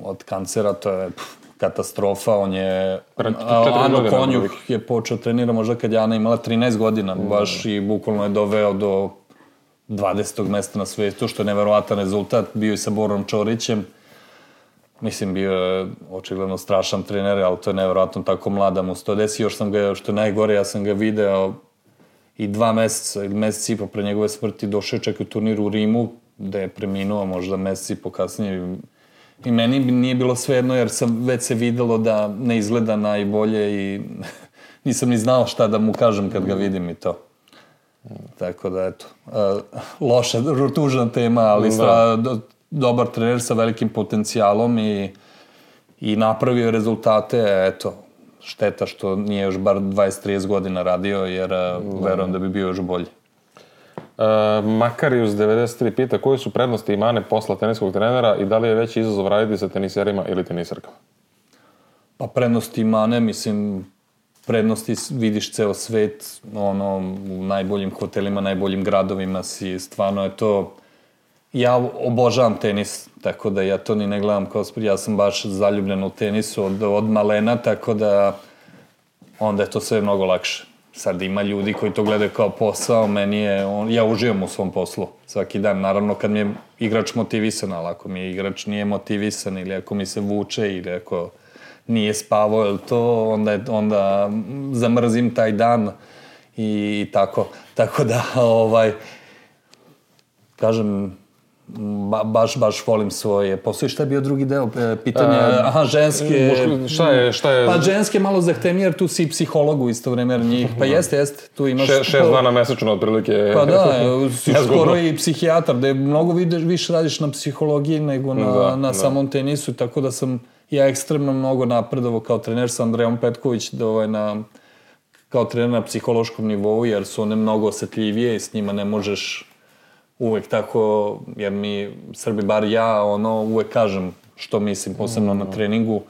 od kancera, to je katastrofa, on je... Ano Konjuh je počeo trenira možda kad je Ana imala 13 godina, baš i bukvalno je doveo do 20. mesta na svetu, što je neverovatan rezultat, bio i sa Borom Čorićem. Mislim, bio je očigledno strašan trener, ali to je nevjerojatno tako mlada mu se to desi. Još sam ga, što je najgore, ja sam ga video i 2 meseca ili mesec i po pre njegove smrti došao je čak u turniru u Rimu, gde je preminuo možda mesec i po kasnije. I meni nije bilo svejedno jer sam već se videlo da ne izgleda najbolje i nisam ni znao šta da mu kažem kad ga vidim i to. Tako da, eto, loša, tužna tema, ali dobar trener sa velikim potencijalom i napravio rezultate, eto, šteta što nije još bar 20-30 godina radio, jer verujem da bi bio još bolji. Makarius 93 pita koje su prednosti i mane posla teniskog trenera i da li je veći izazov raditi sa teniserima ili tenisarkama? Pa prednosti i mane, mislim, prednosti vidiš ceo svet, u najboljim hotelima, najboljim gradovima si, stvarno je to... Ja obožavam tenis, tako da ja to ni ne gledam kao sport, ja sam baš zaljubljen u tenisu od malena, tako da onda je to sve mnogo lakše. Sad ima ljudi koji to gledaju kao posao, ja uživam u svom poslu svaki dan. Naravno kad mi je igrač motivisan, ali ako mi je igrač nije motivisan ili ako mi se vuče ili ako nije spavao ili to, onda zamrzim taj dan i tako. Tako da, kažem, baš volim svoje posao. I šta je bio drugi deo pitanja? Aha, ženske... Šta je... Pa ženske malo zahtevnije, jer tu si i psiholog u isto vreme, jer njih... Pa jeste, tu imaš... 6 dana mesečno, otprilike. Pa da, si skoro i psihijatar, da je mnogo više radiš na psihologiji nego na samom tenisu, tako da sam ja ekstremno mnogo napredovao kao trener sa Andrejom Petković, kao trener na psihološkom nivou, jer su one mnogo osetljivije i s njima ne možeš uvek tako, jer mi Srbi, bar ja, uvek kažem što mislim, posebno na treningu.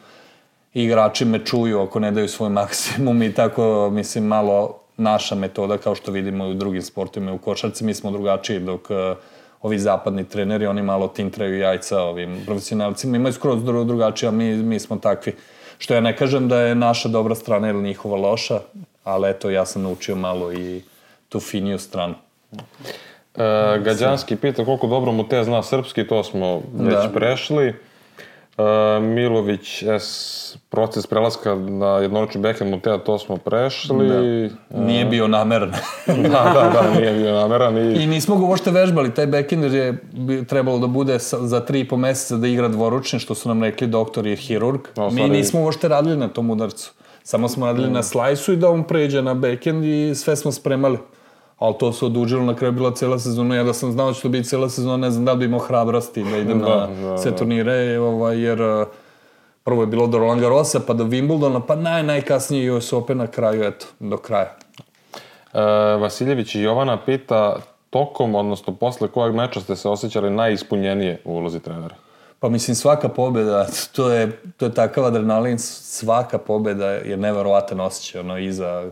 Igrači me čuju ako ne daju svoj maksimum i tako, mislim, malo naša metoda, kao što vidimo i u drugim sportovima, u košarci mi smo drugačiji, dok ovi zapadni treneri, oni malo tintraju jajca ovim profesionalcima, imaju skroz drugačiji, a mi smo takvi. Što ja ne kažem da je naša dobra strana ili njihova loša, ali eto, ja sam naučio malo i tu finiju stranu. Gađanski pita koliko dobro mu te zna srpski, to smo već prešli. Milović, proces prelaska na jednoručni backhand mu to smo prešli. Nije bio nameran. Da, nije bio nameran. I nismo ga uopšte vežbali, taj backhand je trebalo da bude za 3,5 meseca da igra dvoručni, što su nam rekli doktor i hirurg. Mi nismo uopšte radili na tom udarcu. Samo smo radili na slajsu i da on pređe na backhand i sve smo spremali. Ali to se odužilo, na kraju bila cela sezona. Ja da sam znao da će to biti cela sezona, ne znam da bi imao hrabrosti da idem na sve turnire, jer prvo je bilo do Roland Garrosa, pa do Wimbledona, pa najkasnije US Open na kraju, eto, do kraja. Vasiljević i Jovana pita tokom, odnosno posle kojeg meča ste se osjećali najispunjenije u ulozi trenera? Pa mislim, svaka pobjeda, to je takav adrenalin, svaka pobjeda je neverovatan osjećaj, iza,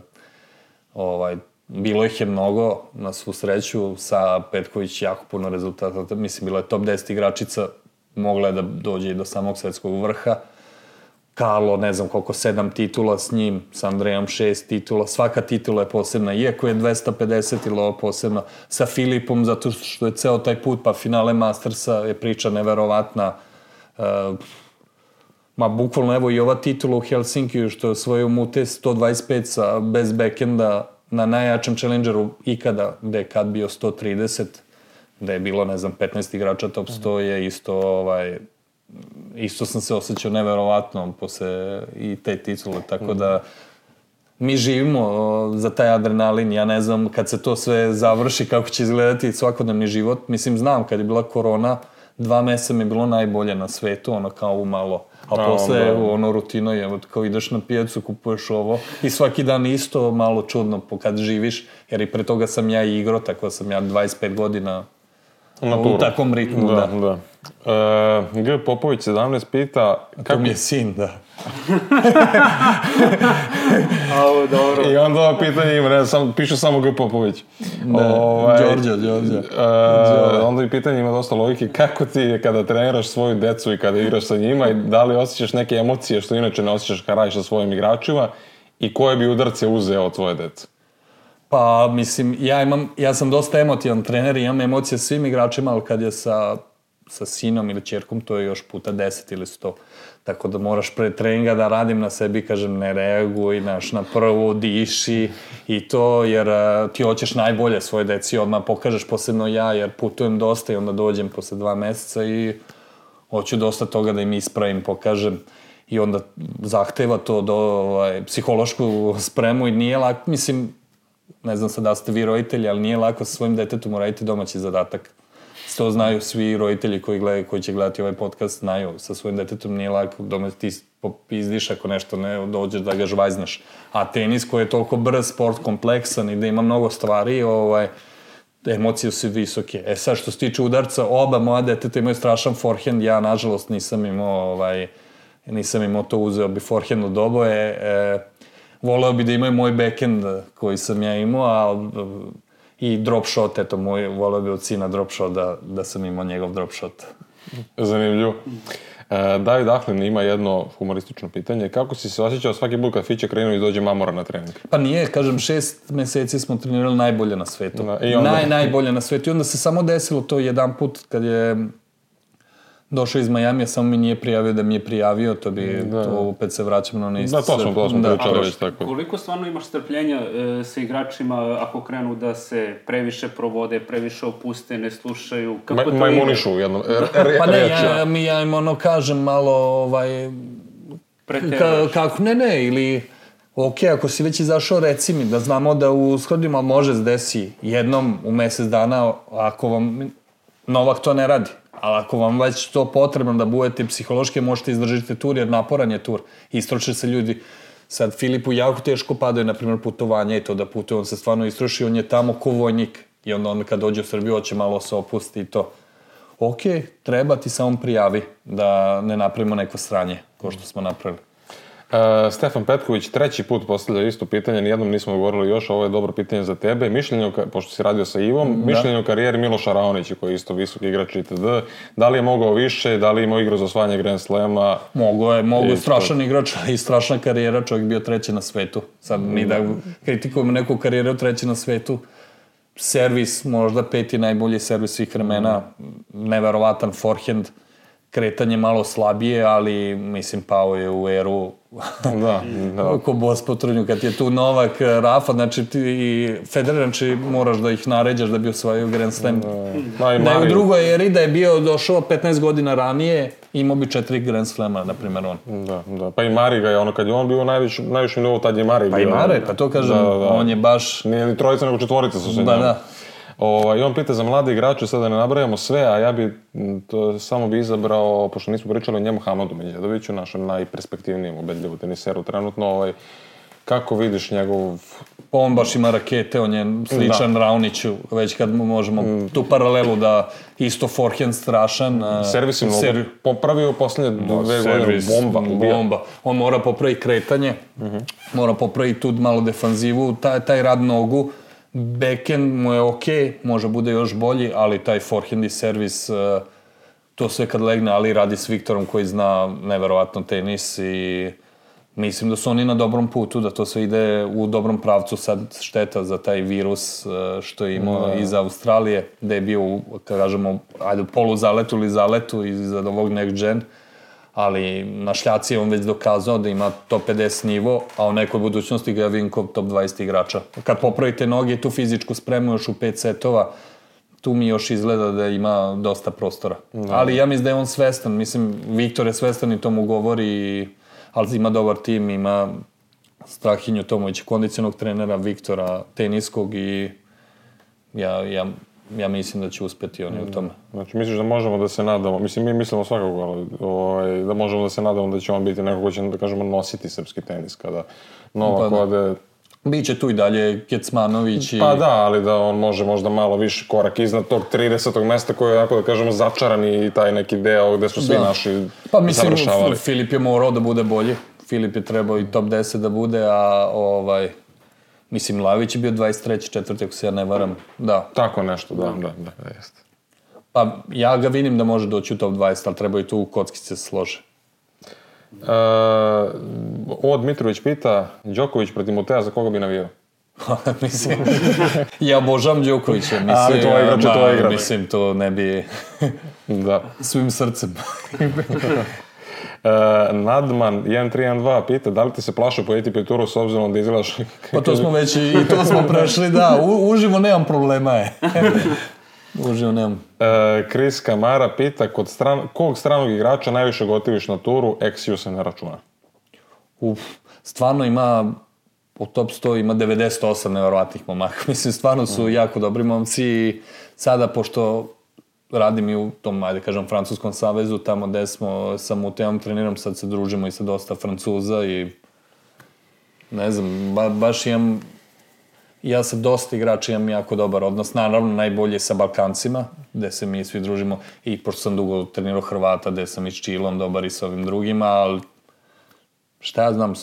bilo ih je mnogo, na svu sreću, sa Petković jako puno rezultata, mislim, bila je top 10 igračica, mogla je da dođe i do samog svetskog vrha. Karlo, ne znam koliko, 7 titula s njim, sa Andrejom 6 titula, svaka titula je posebna, iako je 250 ili ovo posebno, sa Filipom, zato što je ceo taj put, pa finale Mastersa je priča neverovatna. Bukvalno, evo i ova titula u Helsinkiju, što je osvojio Mute 125 bez backenda, na najjačem challengeru ikada, gde je kad bio 130, gde je bilo, ne znam, 15 igrača top 100, je isto sam se osjećao neverovatno posle i te titule, tako da mi živimo za taj adrenalin, ja ne znam kad se to sve završi kako će izgledati svakodnevni život, mislim znam kad je bila korona, 2 meseca mi je bilo najbolje na svetu, kao umalo. A posle, rutina je, kao ideš na pijacu, kupuješ ovo i svaki dan isto malo čudno kad živiš, jer i pre toga sam ja igrao, tako sam ja 25 godina u takvom ritmu, da. G. Popović 17 pita... To mi je sin, da. I onda ovo pitanje ima, piše samo G. Popović. Đorđe. Onda i pitanje ima dosta logike. Kako ti kada treniraš svoju decu i kada igraš sa njima i da li osjećaš neke emocije što inače ne osjećaš kada radiš sa svojim igračima i koje bi udarce uzeo od tvoje dece? Pa, mislim, ja sam dosta emotivan trener i imam emocije svim igračima, ali kad je sa sinom ili ćerkom, to je još puta 10 ili 100. Tako da moraš pre treninga da radim na sebi, kažem, ne reaguj, na prvu, diši i to, jer ti hoćeš najbolje svoje deci, odmah pokažeš, posebno ja, jer putujem dosta i onda dođem posle 2 meseca i hoću dosta toga da im ispravim, pokažem i onda zahteva to do psihološku spremu i nije lako, mislim, ne znam sad da ste vi roditelji, ali nije lako sa svojim detetom uraditi domaći zadatak. To znaju svi roditelji koji će gledati ovaj podcast, znaju, sa svojim detetom nije lako, doma ti popizdiš ako nešto ne dođeš da ga žvajznaš. A tenis koji je toliko brz, sport kompleksan i da ima mnogo stvari, emocije su visoke. Sad što se tiče udarca, oba moja deteta imaju strašan forehand, ja nažalost nisam imao to, uzeo bi forehand od oboje. Voleo bi da imaju moj backhand koji sam ja imao, i drop shot, eto, voleo bi od sina drop shot da sam imao njegov drop shot. Zanimljivo. David Ahlin ima jedno humoristično pitanje. Kako si se osjećao svaki put kad Fiće krenuo i dođe mamora na trening? Pa nije, kažem, 6 meseci smo trenirali najbolje na svetu. Najbolje na svetu. I onda se samo desilo to jedan put kad je došao iz Majamija, samo mi nije prijavio da mi je prijavio, to opet se vraćamo na ono isto. Da, to smo pričali već tako. Koliko stvarno imaš strpljenja sa igračima ako krenu da se previše provode, previše opuste, ne slušaju? Majmunišu u jednom. Pa ne, ja im kažem malo, kako, ne, ili ok, ako si već izašao, reci mi, da znamo da u shodima može se desi jednom u mesec dana, ako vam Novak to ne radi. Ali ako vam već to potrebno da budete psihološki, možete izdržiti tur, jer naporan je tur. Istroče se ljudi. Sad Filipu jako teško padaju, na primjer, putovanja i to da putuje. On se stvarno istroši, on je tamo ko vojnik. I onda kad dođe u Srbiju, hoće malo se opusti i to. Ok, treba ti samo prijavi da ne napravimo neko sranje, kao što smo napravili. Stefan Petković 3. put postavlja isto pitanje, nijednom nismo govorili još, ovo je dobro pitanje za tebe. Mišljenje, pošto si radio sa Ivom, mišljenje o karijeri Miloša Raonića, koji je isto visoki igrač itd. Da li je mogao više, da li je imao igru za osvajanje Grand Slema? Mogo je strašan igrač i strašna karijera, čovjek bio 3. na svetu. Sad mi da kritikujemo neku karijeru 3. na svetu, servis, možda 5. najbolji servis svih vremena, neverovatan forehand, kretanje malo slabije, ali mislim pao je u eru ko bos po trnju. Kad je tu Novak, Rafa, znači ti i Federer, znači moraš da ih naređaš da bi osvajao Grand Slam. Da je u drugoj eri, da je bio došao 15 godina ranije, imao bi 4 Grand Slama, na primjer on. Da. Pa i Mari ga je, kad je on bio u najvišem nivou, tad je Mari bio. Pa i Mari, pa to kažem, on je baš... Nije ni trojica, nego 4 su se njom. Da. I on pita za mlade igrače, sada da ne nabrajamo sve, a ja bi samo izabrao, pošto nismo pričali o njemu, Hamadu Medjedoviću, našem najperspektivnijem ubedljivu teniseru trenutno. Kako vidiš njegov... On baš ima rakete, on je sličan Raoniću, već kad možemo tu paralelu da isto forehand strašan. Servis je mnogo popravio posljednje 2 godine, bomba. On mora popraviti kretanje, mora popraviti tu malo defanzivu, taj rad nogu. Backhand mu je okej, može bude još bolji, ali taj forehand i servis, to sve kad legne, ali radi s Viktorom koji zna neverovatno tenis i mislim da su oni na dobrom putu, da to sve ide u dobrom pravcu. Sad šteta za taj virus što je imao iz Australije, da je bio, kad kažemo, polu zaletu ili zaletu iz ovog next gen, ali na šljaci je on već dokazao da ima top 50 nivo, a u nekoj budućnosti ga vidim kao top 20 igrača. Kad popravite noge i tu fizičku spremu još u 5 setova, tu mi još izgleda da ima dosta prostora. Ali ja mislim da je on svestan, mislim, Viktor je svestan i to mu govori, ali ima dobar tim, ima Strahinju Tomovića, kondicionog trenera, Viktora, teniskog i ja mislim da će uspeti oni u tome. Znači, misliš da možemo da se nadamo, mislim, mi mislimo svakako, ali da možemo da se nadamo da će on biti neko ko će, da kažemo, nositi srpski tenis kada Novak ode... Biće tu i dalje Kecmanović i... Pa da, ali da on može možda malo više korak iznad tog 30. mesta koji je, da kažemo, začaran i taj neki deo gde su svi naši završavali. Pa mislim, Filip je morao da bude bolji. Filip je trebao i top 10 da bude, a mislim, Lavić je bio 23. 4. ako se ja ne varam, da. Tako nešto, da, jeste. Pa ja ga vidim da može doći u top 20, ali treba i tu kockice se slože. Dmitrović pita, Đoković protiv Mutea, za koga bi navijao? Mislim, ja obožavam Đokovića. Ali to je igrač. Mislim, to ne bi... Da. Svim srcem. Nadman 1312 pita, da li ti se plaša po ATP turu s obzirom da izgledaš... Pa to smo već i to smo prešli, da. Uživo nemam problema je. Uživo nemam. Chris Kamara pita, kog stranog igrača najviše gotiviš na turu, XU se ne računa? Stvarno ima, u top 100 ima 98 nevjerovatnih momaka. Mislim, stvarno su jako dobri momci i sada, pošto radim i u tom, ajde kažem, Francuskom savezu, tamo gde sam u temom treniram, sad se družimo i sa dosta Francuza i ne znam, baš imam, ja sa dosta igrača imam jako dobar odnos, naravno najbolje sa Balkancima, gde se mi svi družimo i pošto sam dugo trenirao Hrvata, gde sam i s Čilom dobar i sa ovim drugima, ali šta ja znam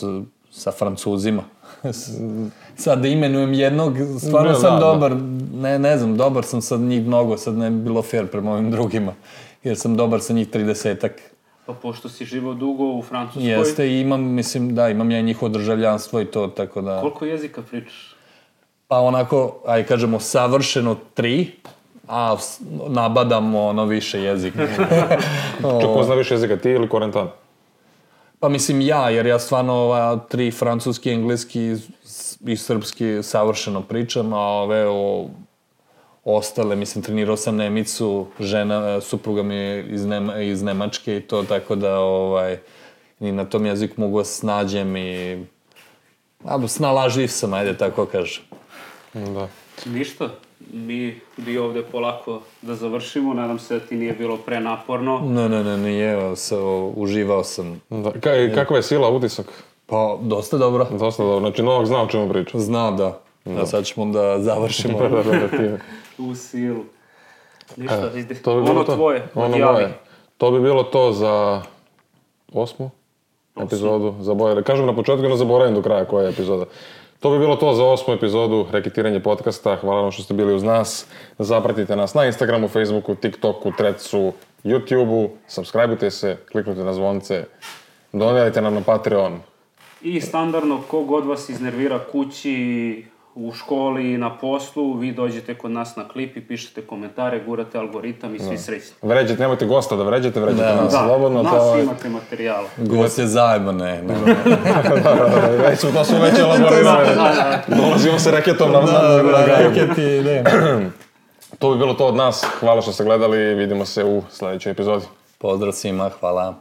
sa Francuzima. Sad da imenujem jednog, stvarno sam dobar, ne znam, dobar sam sad njih mnogo, sad ne bi bilo fair prema ovim drugima, jer sam dobar sa njih 30-ak. Pa pošto si živao dugo u Francuskoj... Jeste i imam, mislim, da, imam ja njihovo državljanstvo i to, tako da... Koliko jezika pričaš? Pa onako, aj kažemo, savršeno 3, a nabadamo više jezika. Ko zna više jezika, ti ili Korentan? Pa mislim jer ja stvarno 3 francuski, engleski i srpski savršeno pričam, a ove ostale, mislim, trenirao sam Nemicu, supruga mi je iz Nemačke i to, tako da i na tom jeziku mogu se snađem i snalažljiv sam, ajde tako kažem. Da. Ništa, mi bi ovde polako da završimo, nadam se da ti nije bilo prenaporno. Ne, nije, uživao sam. Kakva je sila, utisak? Pa, dosta dobro. Dosta dobro, znači Novak zna o čemu priča. Zna, da. A sad ćemo da završimo. U silu. Ništa, ono tvoje, odjavi. To bi bilo to za 8. epizodu. Kažem na početku, ne zaboravim do kraja koja je epizoda. To bi bilo to za 8. epizodu Reketiranje podcasta. Hvala vam što ste bili uz nas. Zapratite nas na Instagramu, Facebooku, TikToku, Threadsu, YouTubeu. Subscribeujte se, kliknite na zvonce. Donirajte nam na Patreon. I standardno, kogod vas iznervira kući, u školi, na poslu, vi dođete kod nas na klip i pišete komentare, gurate algoritam i svi srećni. Vređate, nemojte gosta da vređate nas slobodno. Nas imate materijala. Gost je zajedno, ne. To su već elaborirali. Dolazimo se reketom na reketi, ne. To bi bilo to od nas. Hvala što ste gledali i vidimo se u sledećoj epizodi. Pozdrav svima, hvala.